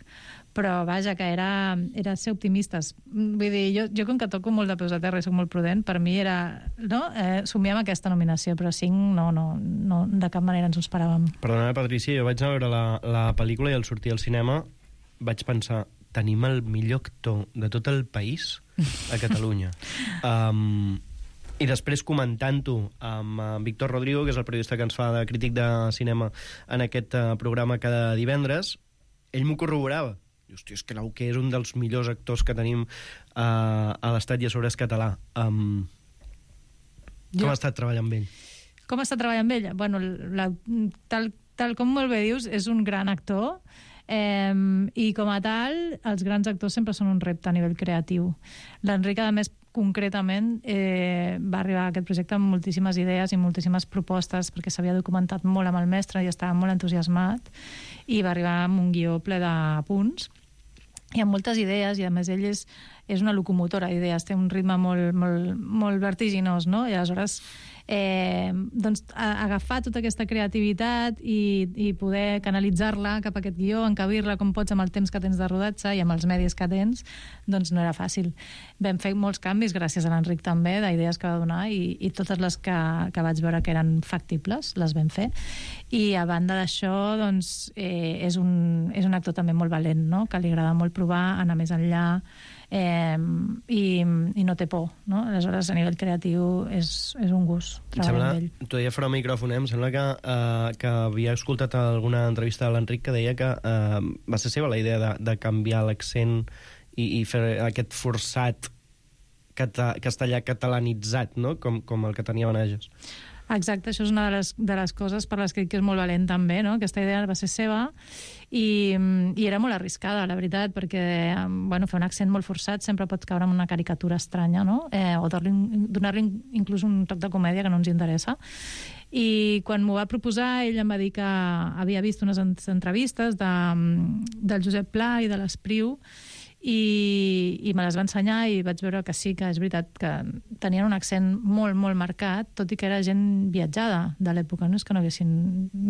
S: Però, vaja, que era, era ser optimistes. Vull dir, jo, jo com que toco molt de peus a terra i soc molt prudent, per mi era, no?, eh, somiar amb aquesta nominació, però cinc no, no, no, de cap manera ens ho esperàvem.
L: Perdona, Patricia, jo vaig anar a veure la, la pel·lícula i al sortir al cinema vaig pensar, tenim el millor actor de tot el país a Catalunya. um, I després, comentant-ho amb uh, Víctor Rodrigo, que és el periodista que ens fa de crític de cinema en aquest uh, programa cada divendres, ell m'ho corroborava. Hòstia, és que l'Auqué és un dels millors actors que tenim uh, a l'Estat i a sobre és català. Um, com jo... ha estat treballar amb ell?
S: Com ha estat treballar amb ell? Bueno, la, tal, tal com molt bé dius, és un gran actor. Eh, I com a tal, els grans actors sempre són un repte a nivell creatiu. L'Enric, a més, concretament, eh, va arribar a aquest projecte amb moltíssimes idees i moltíssimes propostes, perquè s'havia documentat molt amb el mestre i estava molt entusiasmat, i va arribar amb un guió ple de punts i amb moltes idees, i a més ell és, és una locomotora d'idees, té un ritme molt, molt, molt vertiginós, no? I aleshores eh, doncs, a, agafar tota aquesta creativitat i, i poder canalitzar-la cap a aquest guió, encabir-la com pots amb el temps que tens de rodatge i amb els medis que tens, doncs no era fàcil. Vam fer molts canvis gràcies a l'Enric també, d'idees que va donar, i, i totes les que, que vaig veure que eren factibles les vam fer. I a banda d'això, doncs, eh, és, un, és un actor també molt valent, no? Que li agrada molt provar, anar més enllà, eh, i, i no té por, no? Aleshores, a nivell creatiu és, és un gust treballar amb ell.
L: T'ho deia fora micròfon, eh? Em sembla que, uh, que havia escoltat alguna entrevista de l'Enric que deia que uh, va ser seva la idea de, de canviar l'accent i, i fer aquest forçat cata, castellà catalanitzat, no? Com, com el que tenia Benages.
S: Exacte, això és una de les, de les coses per les que dic que és molt valent també, no? Aquesta idea va ser seva i, i era molt arriscada, la veritat, perquè bueno, fer un accent molt forçat sempre pot caure en una caricatura estranya, no? Eh, o donar-li inclús un toc de comèdia que no ens interessa. I quan m'ho va proposar, ell em va dir que havia vist unes entrevistes de, del Josep Pla i de l'Espriu, i, i me les va ensenyar i vaig veure que sí, que és veritat que tenien un accent molt, molt marcat, tot i que era gent viatjada de l'època, no és que no haguessin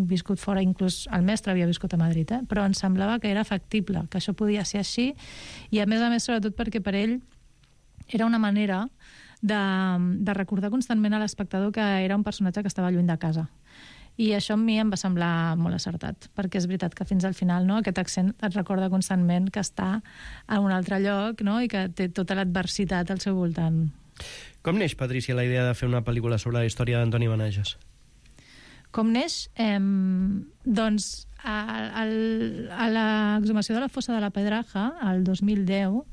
S: viscut fora, inclús el mestre havia viscut a Madrid, eh? Però em semblava que era factible, que això podia ser així, i a més a més, sobretot perquè per ell era una manera de, de recordar constantment a l'espectador que era un personatge que estava lluny de casa. I això a mi em va semblar molt acertat, perquè és veritat que fins al final, no, aquest accent et recorda constantment que està a un altre lloc, no, i que té tota l'adversitat al seu voltant.
L: Com neix, Patrícia, la idea de fer una pel·lícula sobre la història d'Antoni Benages?
S: Com neix? Eh, doncs, a, a, a l'exhumació de la fossa de la Pedraja, el dos mil deu,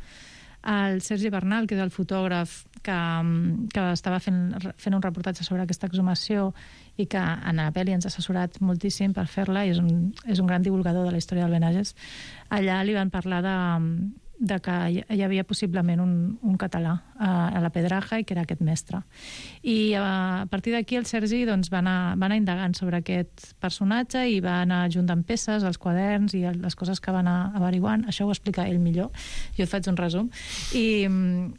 S: el Sergi Bernal, que és el fotògraf que, que estava fent, fent un reportatge sobre aquesta exhumació i que en la pel·li ens ha assessorat moltíssim per fer-la, i és un, és un gran divulgador de la història del Benages, allà li van parlar de, de que hi havia possiblement un, un català a, a la Pedraja i que era aquest mestre. I a partir d'aquí el Sergi doncs, va, anar, va anar indagant sobre aquest personatge i va anar juntant peces, els quaderns i les coses que va anar averiguant. Això ho explica ell millor, jo et faig un resum. I,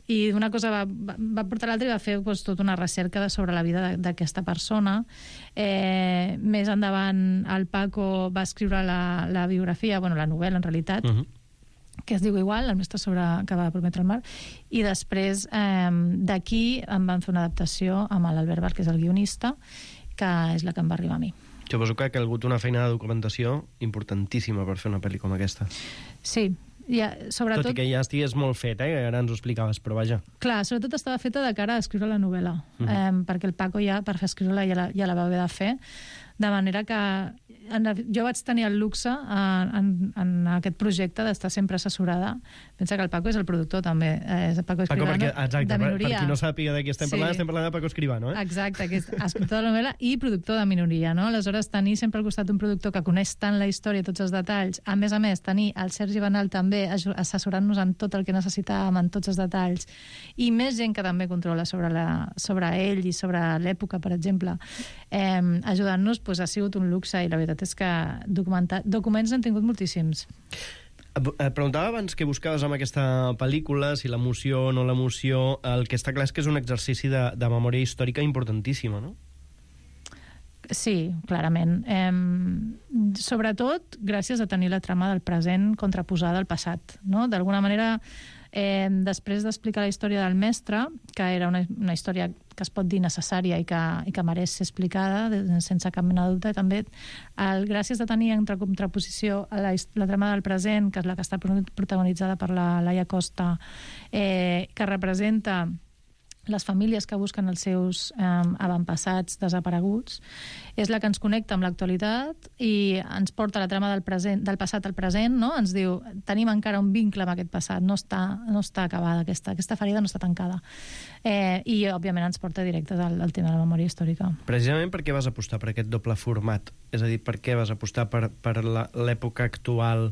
S: i una cosa va, va portar l'altra i va fer doncs, tota una recerca sobre la vida d'aquesta persona. Eh, més endavant el Paco va escriure la, la biografia, bueno, la novel·la en realitat, uh-huh. que es diu igual, el mestre sobre que va prometre el mar, i després eh, d'aquí em van fer una adaptació amb l'Albert Bar, que és el guionista, que és la que em va arribar a mi.
L: Suposo que ha calgut una feina de documentació importantíssima per fer una pel·li com aquesta.
S: Sí, ja, sobretot...
L: Tot i que ja estigués molt fet, eh? Ara ens ho explicaves, però vaja.
S: Clar, sobretot estava feta de cara a escriure la novel·la, uh-huh. eh, perquè el Paco ja, per fer escriure-la, ja la, ja la va haver de fer, de manera que en, jo vaig tenir el luxe en, en, en aquest projecte d'estar sempre assessorada. Pensa que el Paco és el productor també, eh, és el Paco Escribano,
L: Paco, perquè, exacte,
S: de Minoria.
L: Per, per qui no sàpiga de qui estem parlant, sí. Estem parlant de Paco Escribano, eh?
S: Exacte, que és escriptor de la novel·la i productor de Minoria, no? Aleshores, tenir sempre al costat un productor que coneix tant la història, tots els detalls, a més a més, tenir el Sergi Bernal també assessorant-nos en tot el que necessitàvem, en tots els detalls, i més gent que també controla sobre, la, sobre ell i sobre l'època, per exemple, eh, ajudant-nos, pues, ha sigut un luxe, i la veritat és que documents n'han tingut moltíssims.
L: Et preguntava abans què buscaves amb aquesta pel·lícula, si l'emoció o no l'emoció. El que està clar és que és un exercici de, de memòria històrica importantíssima, no?
S: Sí, clarament. Eh, sobretot gràcies a tenir la trama del present contraposada al passat, no? D'alguna manera, eh, després d'explicar la història del mestre, que era una, una història que es pot dir necessària i que, i que mereix ser explicada sense cap mena de dubte, també el, gràcies a tenir en contraposició a la, la trama del present, que és la que està protagonitzada per la Laia Costa, eh, que representa les famílies que busquen els seus eh, avantpassats desapareguts, és la que ens connecta amb l'actualitat i ens porta la trama del, present, del passat al present, no? Ens diu, tenim encara un vincle amb aquest passat, no està, no està acabada, aquesta, aquesta ferida no està tancada. Eh, I, òbviament, ens porta directes al, al tema de la memòria històrica.
L: Precisament per què vas apostar per aquest doble format? És a dir, per què vas apostar per, per l'època actual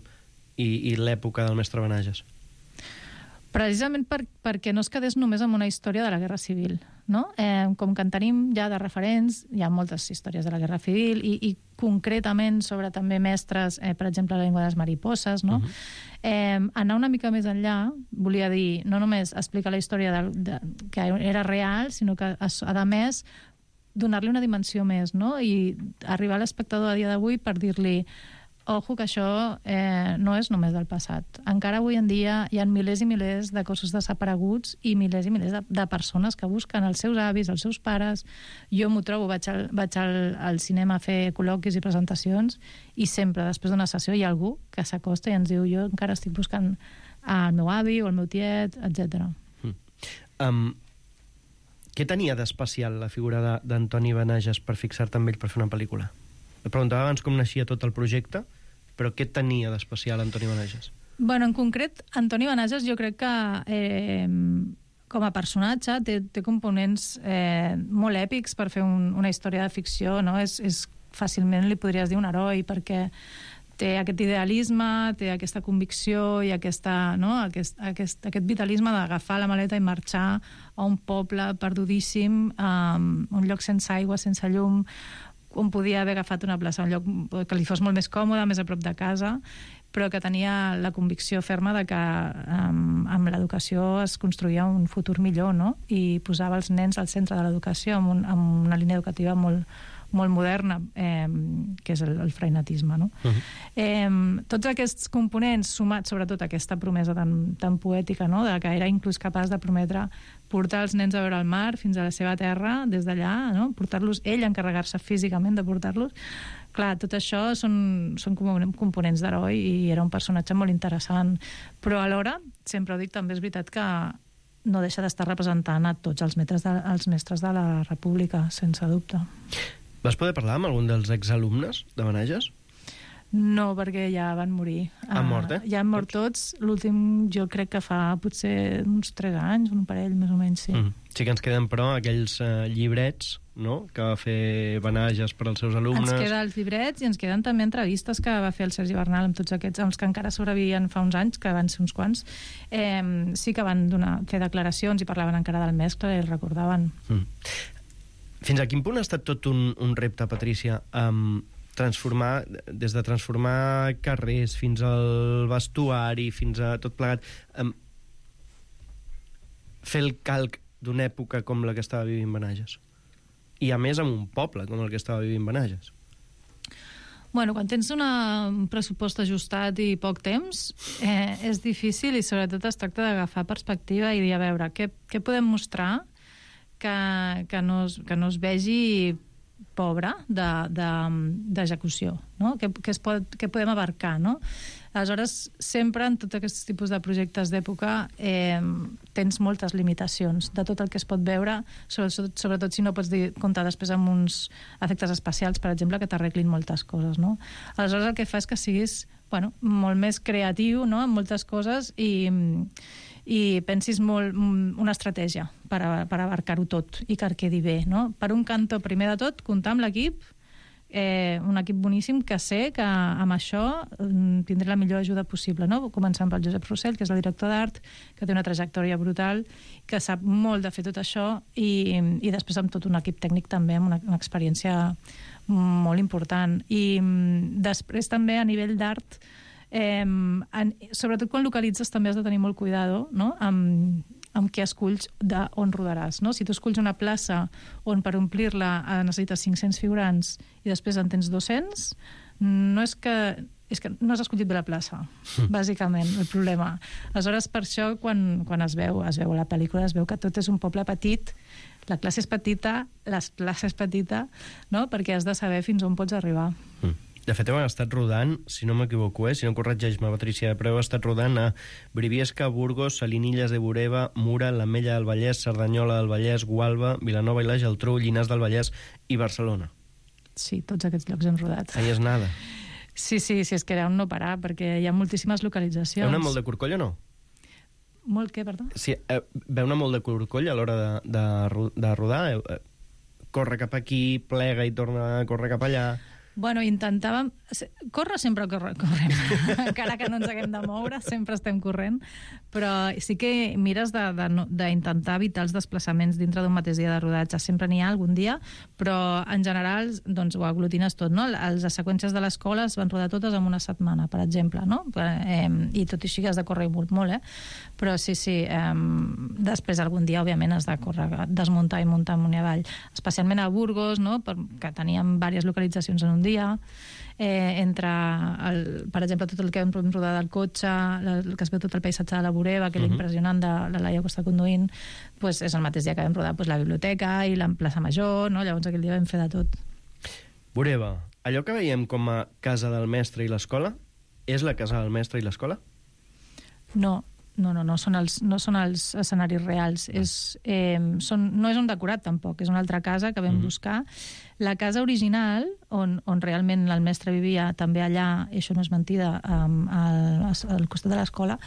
L: i, i l'època del mestre Benages?
S: Precisament per, perquè no es quedés només amb una història de la Guerra Civil, no? Eh, com que en tenim ja de referents, hi ha moltes històries de la Guerra Civil i, i concretament sobre també mestres, eh, per exemple, la llengua de les mariposes, no? Uh-huh. eh, anar una mica més enllà volia dir, no només explicar la història de, de, que era real, sinó que, a, a més, donar-li una dimensió més, no? I arribar a l'espectador a dia d'avui per dir-li ojo, que això eh, no és només del passat. Encara avui en dia hi ha milers i milers de cossos desapareguts i milers i milers de, de persones que busquen els seus avis, els seus pares. Jo m'ho trobo, vaig, al, vaig al, al cinema a fer col·loquis i presentacions i sempre, després d'una sessió, hi ha algú que s'acosta i ens diu jo encara estic buscant el meu avi o el meu tiet, etcètera.
L: Mm. Um, què tenia d'especial la figura d'Antoni Benages per fixar-te amb ell per fer una pel·lícula? Et preguntava abans com naixia tot el projecte, però què tenia d'especial Antoni Benages?
S: Bueno, en concret, Antoni Benages jo crec que eh, com a personatge té, té components eh, molt èpics per fer un, una història de ficció, no? És, és fàcilment li podries dir un heroi, perquè té aquest idealisme, té aquesta convicció i aquesta, no? aquest, aquest, aquest vitalisme d'agafar la maleta i marxar a un poble perdudíssim, a un lloc sense aigua, sense llum, on podia haver agafat una plaça, un lloc que li fos molt més còmode, més a prop de casa, però que tenia la convicció ferma de que um, amb l'educació es construïa un futur millor, no? I posava els nens al centre de l'educació amb, un, amb una línia educativa molt, molt moderna, eh, que és el, el freinetisme, no? Uh-huh. eh, tots aquests components, sumats sobretot a aquesta promesa tan, tan poètica, no? De que era inclús capaç de prometre portar els nens a veure el mar fins a la seva terra, des d'allà, no? Portar-los, ell encarregar-se físicament de portar-los. Clar, tot això són, són components d'heroi i era un personatge molt interessant. Però alhora, sempre ho dic, també és veritat que no deixa d'estar representant a tots els mestres de, els mestres de la República, sense dubte.
L: Vas poder parlar amb algun dels exalumnes de Benages?
S: No, perquè ja van morir.
L: Han mort, eh?
S: Ja han mort tots. L'últim jo crec que fa potser uns tres anys, un parell, més o menys, sí.
L: Mm. Sí que ens queden, però, aquells uh, llibrets, no?, que va fer Benages per als seus alumnes.
S: Ens queden els llibrets i ens queden també entrevistes que va fer el Sergi Bernal amb tots aquests, els que encara sobrevivien fa uns anys, que van ser uns quants. Eh, sí que van donar, fer declaracions i parlaven encara del mescle i el recordaven.
L: Mm. Fins a quin punt ha estat tot un, un repte, Patrícia, um, transformar, des de transformar carrers fins al vestuari, fins a tot plegat, um, fer el calc d'una època com la que estava vivint Benages? I a més amb un poble com el que estava vivint Benages.
S: Bueno, quan tens una, un pressupost ajustat i poc temps, eh, és difícil i sobretot es tracta d'agafar perspectiva i dir, a veure, què, què podem mostrar que, que, no es, que no es vegi pobre d'execució, de, de, no? Que, que, es pot, que podem abarcar, no? Aleshores, sempre en tots aquests tipus de projectes d'època eh, tens moltes limitacions de tot el que es pot veure, sobretot, sobretot si no pots dir, comptar després amb uns efectes especials, per exemple, que t'arreglin moltes coses, no? Aleshores, el que fa és que siguis, bueno, molt més creatiu, no?, en moltes coses i, i pensis molt una estratègia per, a, per abarcar-ho tot i que quedi bé, no? Per un cantó, primer de tot, comptar amb l'equip, Eh, un equip boníssim que sé que amb això tindré la millor ajuda possible, no? Començant pel Josep Rossell, que és el director d'art, que té una trajectòria brutal, que sap molt de fer tot això i, i després amb tot un equip tècnic també amb una, una experiència molt important. I després també a nivell d'art, eh, en, sobretot quan localitzes també has de tenir molt cuidado, no?, amb amb què esculls d'on rodaràs, no? Si tu esculls una plaça on per omplir-la necessites cinc-cents figurants i després en tens dos-cents, no és que és que no has escollit bé la plaça, bàsicament, el problema. Aleshores, per això, quan, quan es veu es veu a la pel·lícula, es veu que tot és un poble petit, la classe és petita, la plaça és petita, no?, perquè has de saber fins on pots arribar.
L: Mm. De fet, heu estat rodant, si no m'equivoco, eh? Si no corregeix-me, Patrícia, però heu estat rodant a Briviesca, Burgos, Salinilles de Bureba, Mura, l'Ametlla del Vallès, Cerdanyola del Vallès, Gualba, Vilanova i la Geltrú, Llinars del Vallès i Barcelona.
S: Sí, tots aquests llocs hem rodat.
L: Ahí és nada.
S: Sí, sí, sí, és que era un no parar, perquè hi ha moltíssimes localitzacions.
L: Heu anat molt de corcoll o no?
S: Molt què, perdó?
L: Sí, eh, veu anar molt de corcoll a l'hora de, de, de rodar? Eh, corre cap aquí, plega i torna a córrer cap allà...
S: Bueno, intentàvem... Córrer sempre corre, correm. Encara que no ens haguem de moure, sempre estem corrent. Però sí que mires d'intentar evitar els desplaçaments dintre d'un mateix dia de rodatge. Sempre n'hi ha algun dia, però en general doncs, ho aglutines tot. No? Les seqüències de l'escola es van rodar totes en una setmana, per exemple. No? Eh, I tot i així que has de córrer molt, molt eh? Però sí, sí. Eh, després algun dia, òbviament, has de córrer, desmuntar i muntar amunt i avall. Especialment a Burgos, no? Que teníem diverses localitzacions en un dia. Eh, entre, el, per exemple, tot el que hem rodat del cotxe, el que es veu tot el paisatge de la Bureba, que és uh-huh. impressionant de la Laia que està conduint, pues és el mateix dia que vam rodar pues, la biblioteca i la plaça Major, no? Llavors aquell dia vam fer de tot.
L: Bureba, allò que veiem com a casa del mestre i l'escola, és la casa del mestre i l'escola?
S: No, no, no, no són els, no són els escenaris reals. És, eh, són, no és un decorat, tampoc. És una altra casa que vam mm-hmm. buscar. La casa original, on, on realment el mestre vivia, també allà, i això no és mentida, um, al, al costat de l'escola,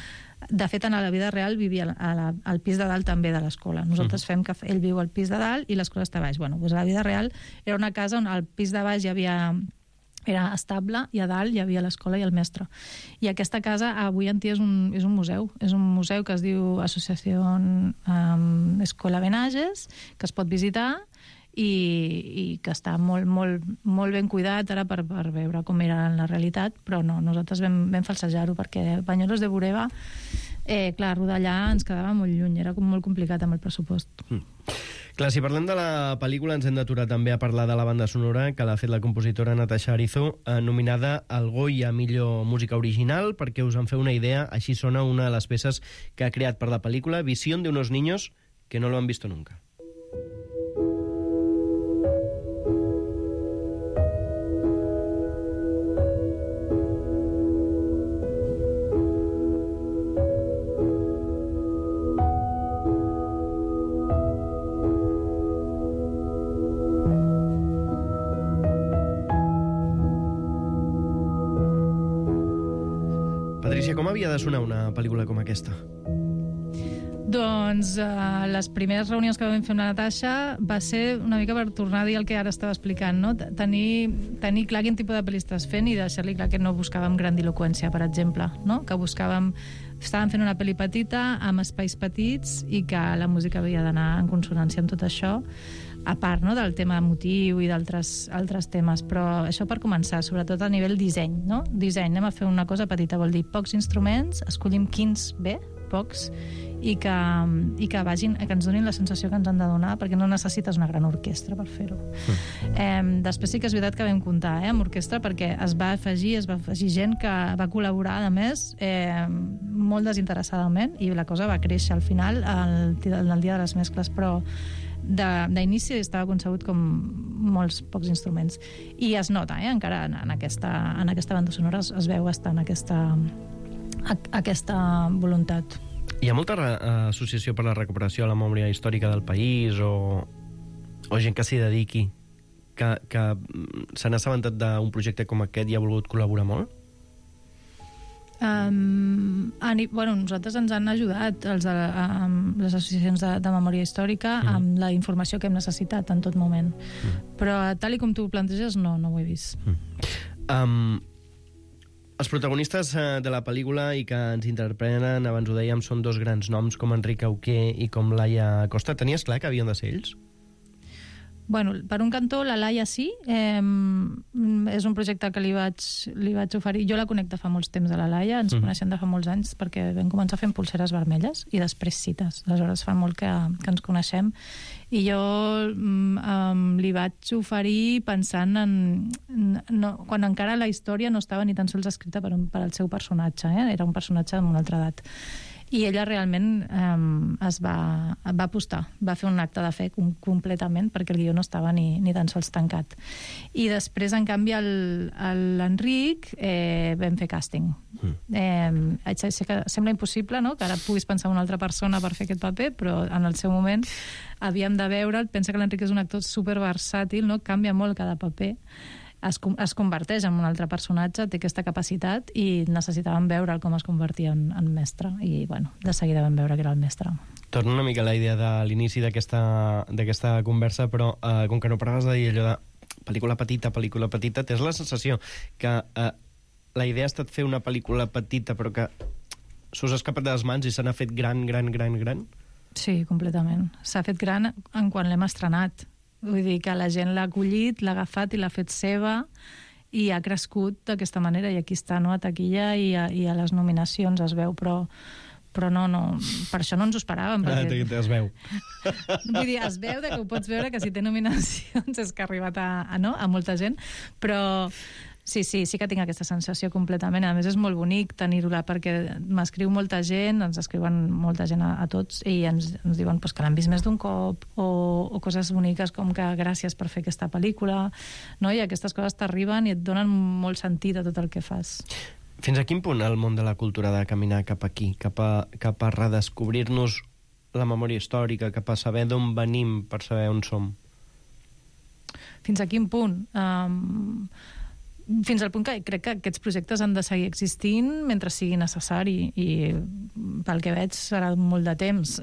S: de fet, en la vida real vivia a la, al pis de dalt també de l'escola. Nosaltres mm-hmm. fem que ell viu al pis de dalt i l'escola està a baix. Bueno, doncs a la vida real era una casa on al pis de baix hi havia... era estable, i a dalt hi havia l'escola i el mestre. I aquesta casa avui en dia és un, és un museu. És un museu que es diu Associació um, Escola Benages, que es pot visitar i, i que està molt, molt, molt ben cuidat ara per, per veure com era en la realitat, però no, nosaltres vam, vam falsejar-ho perquè Banyoles de Bureba, eh, clar, rodar allà ens quedava molt lluny, era com molt complicat amb el pressupost.
L: Mm. Clar, si parlem de la pel·lícula ens hem d'aturar també a parlar de la banda sonora que l'ha fet la compositora Natasha Arizo, eh, nominada al Goya a millor música original. Perquè us en feu una idea, així sona una de les peces que ha creat per la pel·lícula, Visión de unos niños que no lo han visto nunca. Patrícia, com havia de sonar una pel·lícula com aquesta?
S: Doncs uh, les primeres reunions que vam fer amb la Natasha va ser una mica per tornar a dir el que ara estava explicant, no? Tenir, tenir clar quin tipus de pel·li estàs fent i deixar-li clar que no buscàvem grandiloqüència, per exemple, no? Que buscàvem... Estàvem fent una pel·li petita, amb espais petits, i que la música havia d'anar en consonància amb tot això, a part, no?, del tema emotiu i d'altres altres temes, però això per començar, sobretot a nivell disseny, no? Disseny, anem a fer una cosa petita, vol dir pocs instruments, escollim quins bé, pocs, i que, i que vagin, que ens donin la sensació que ens han de donar, perquè no necessites una gran orquestra per fer-ho. Mm. Eh, després sí que és veritat que vam comptar eh, amb orquestra, perquè es va afegir, es va afegir gent que va col·laborar, a més, eh, molt desinteressadament, i la cosa va créixer al final, el, el dia de les mescles, però d'inici estava concebut com molts pocs instruments. I es nota, eh, encara en, en, aquesta, en aquesta banda sonora es, es veu bastant aquesta, a, aquesta voluntat.
L: Hi ha molta associació per la recuperació de la memòria històrica del país o, o gent que s'hi dediqui que, que se n'ha assabentat d'un projecte com aquest i ha volgut col·laborar molt?
S: Um, ani, bueno, nosaltres ens han ajudat els, a, les associacions de, de memòria històrica mm. amb la informació que hem necessitat en tot moment. Mm. Però tal i com tu ho planteges, no, no ho he vist.
L: Mm. Um, els protagonistes de la pel·lícula i que ens interpreten, abans ho dèiem, són dos grans noms com Enric Auqué i com Laia Costa. Tenies clar que havien de ser ells?
S: Bueno, per un cantó, la Laia sí. Eh, és un projecte que li vaig, li vaig oferir. Jo la conec de fa molts temps, a la Laia. Ens mm. coneixem de fa molts anys perquè vam començar fent pulseres vermelles i després cites. Aleshores fa molt que, que ens coneixem. I jo um, li vaig oferir pensant en... No, quan encara la història no estava ni tan sols escrita per, un, per al seu personatge. Eh? Era un personatge amb una altra edat. I ella realment eh, es va, va apostar, va fer un acte de fe com, completament, perquè el guió no estava ni, ni tan sols tancat. I després, en canvi, l'Enric eh, vam fer càsting. Mm. Eh, sé que sembla impossible, no?, que ara puguis pensar en una altra persona per fer aquest paper, però en el seu moment havíem de veure'l. Pensa que l'Enric és un actor superversàtil, no?, canvia molt cada paper. Es, es converteix en un altre personatge, té aquesta capacitat i necessitàvem veure'l com es convertia en, en mestre. I, bueno, de seguida vam veure que era el mestre.
L: Torna una mica a la idea de l'inici d'aquesta conversa, però eh, com que no paraves de dir allò de pel·lícula petita, pel·lícula petita, tens la sensació que eh, la idea ha estat fer una pel·lícula petita però que s'us ha escapat de les mans i se n'ha fet gran, gran, gran, gran?
S: Sí, completament. S'ha fet gran en quan l'hem estrenat. Vull dir que la gent l'ha acollit, l'ha agafat i l'ha fet seva i ha crescut d'aquesta manera, i aquí està, no?, a taquilla i a, i a les nominacions es veu, però, però no, no, per això no ens ho esperàvem. Perquè...
L: Ah, es veu.
S: Vull dir, es veu de que ho pots veure, que si té nominacions és que ha arribat a, a, no? a molta gent, però sí, sí, sí que tinc aquesta sensació completament. A més, és molt bonic tenir-ho-la, perquè m'escriu molta gent, ens escriuen molta gent a, a tots, i ens, ens diuen pues, que l'han vist més d'un cop, o, o coses boniques com que gràcies per fer aquesta pel·lícula, no? I aquestes coses t'arriben i et donen molt sentit a tot el que fas.
L: Fins a quin punt el món de la cultura ha de caminar cap aquí, cap a, cap a redescobrir-nos la memòria històrica, cap a saber d'on venim per saber on som?
S: Fins a quin punt? Um, fins al punt que crec que aquests projectes han de seguir existint mentre sigui necessari, i pel que veig serà molt de temps.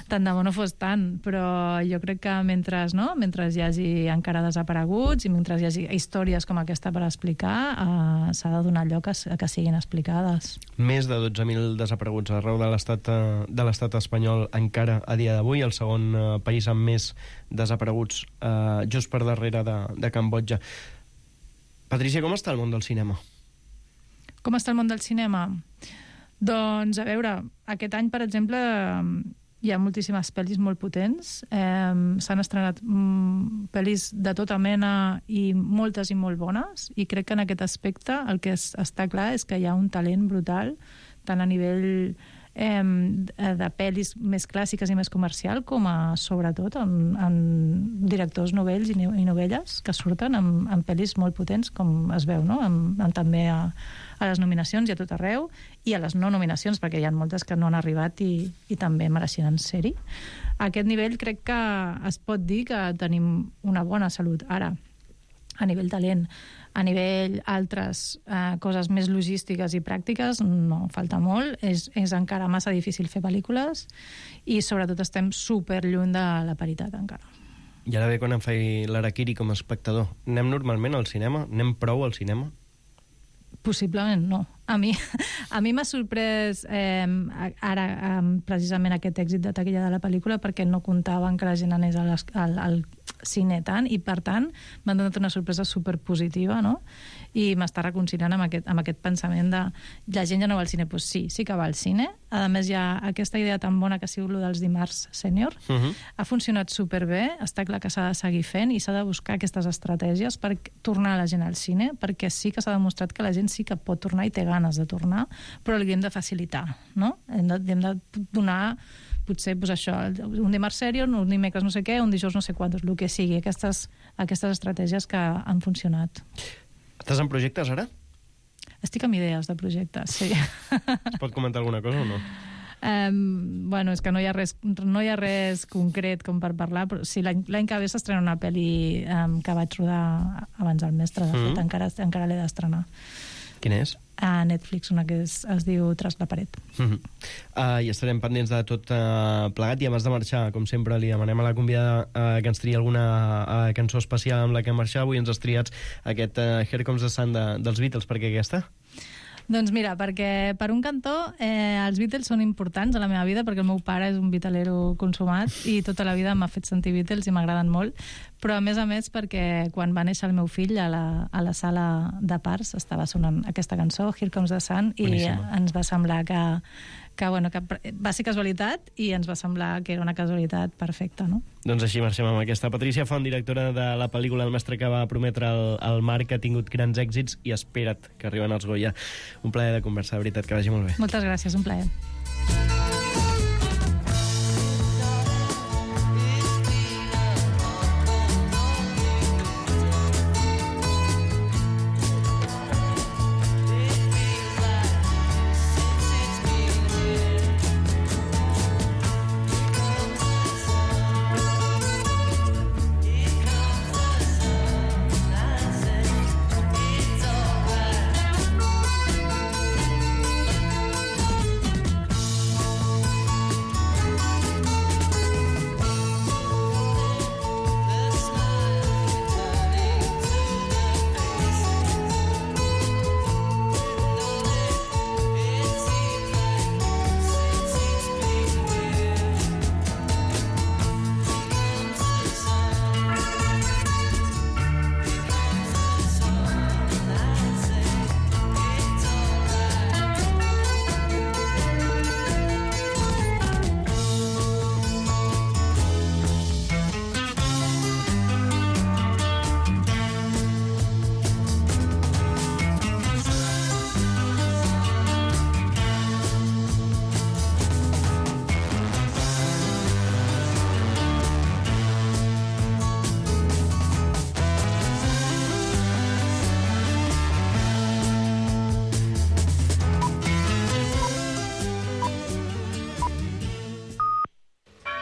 S: Tant de bo no fos tant, però jo crec que mentre, no? mentre hi hagi encara desapareguts i mentre hi hagi històries com aquesta per explicar, eh, s'ha de donar lloc a, a que siguin explicades.
L: Més de dotze mil desapareguts arreu de l'estat de l'estat espanyol encara a dia d'avui, el segon eh, país amb més desapareguts, eh, just per darrere de, de Cambodja. Patrícia, com està el món del cinema?
S: Com està el món del cinema? Doncs, a veure, aquest any, per exemple, hi ha moltíssimes pel·lis molt potents. Eh, s'han estrenat mm, pel·lis de tota mena i moltes i molt bones, i crec que en aquest aspecte el que es, està clar és que hi ha un talent brutal, tant a nivell eh, de pel·lis més clàssiques i més comercial, com a, sobretot, en, en directors novells i, i novelles que surten amb, amb pel·lis molt potents, com es veu, no? Amb, amb també a, a les nominacions i a tot arreu, i a les no nominacions, perquè hi ha moltes que no han arribat i, i també mereixen ser-hi. A aquest nivell crec que es pot dir que tenim una bona salut. Ara, a nivell talent, a nivell altres eh, coses més logístiques i pràctiques, no, falta molt. És, és encara massa difícil fer pel·lícules i sobretot estem super lluny de la paritat encara.
L: I ara ve quan em faig l'harakiri com a espectador. Anem normalment al cinema? Anem prou al cinema?
S: Possiblement no. A mi, a mi m'ha sorprès eh, ara eh, precisament aquest èxit de taquilla de la pel·lícula, perquè no comptaven que la gent anés al, al, al cine tant, i per tant m'ha donat una sorpresa superpositiva, no? I m'està reconciliant amb aquest, amb aquest pensament de la gent ja no va al cine. Doncs pues sí, sí que va al cine. A més, hi ha aquesta idea tan bona que ha sigut lo dels dimarts sènior. Uh-huh. Ha funcionat superbé, està clar que s'ha de seguir fent i s'ha de buscar aquestes estratègies per tornar la gent al cine, perquè sí que s'ha demostrat que la gent sí que pot tornar i té ganes de tornar, però li hem de facilitar, no? Hem de, hem de donar, potser, pues això, un dimarts sèrio, un dimecres no sé què, un dijous no sé quantos, el que sigui, aquestes, aquestes estratègies que han funcionat.
L: Estàs en projectes ara?
S: Estic amb idees de projectes, sí.
L: Es pot comentar alguna cosa o no?
S: Um, bueno, és que no hi ha res, no hi ha res concret com per parlar, però sí, l'any, l'any que ve s'estrena una pel·li um, que vaig rodar abans del mestre, de fet, mm. encara, encara l'he d'estrenar.
L: Quina és?
S: A Netflix, una que es, es diu Tras la paret.
L: Mm-hmm. uh, I estarem pendents de tot uh, plegat, i abans de marxar, com sempre, li demanem a la convidada uh, que ens triï alguna uh, cançó especial amb la que marxar. Avui ens has triat aquest uh, Here Comes the Sun de, dels Beatles. Per què aquesta?
S: Doncs mira, perquè per un cantó eh, els Beatles són importants a la meva vida, perquè el meu pare és un beatlero consumat i tota la vida m'ha fet sentir Beatles i m'agraden molt, però a més a més perquè quan va néixer el meu fill a la, a la sala de parts estava sonant aquesta cançó, Here Comes the Sun, i Boníssima. Ens va semblar que, que, bueno, que va ser casualitat i ens va semblar que era una casualitat perfecta, no?
L: Doncs així marxem amb aquesta. Patricia Font, directora de la pel·lícula El mestre que va prometre el, el mar, que ha tingut grans èxits, i espera't que arriben els Goya. Un plaer de conversar, de veritat, que vagi molt bé.
S: Moltes gràcies, un plaer.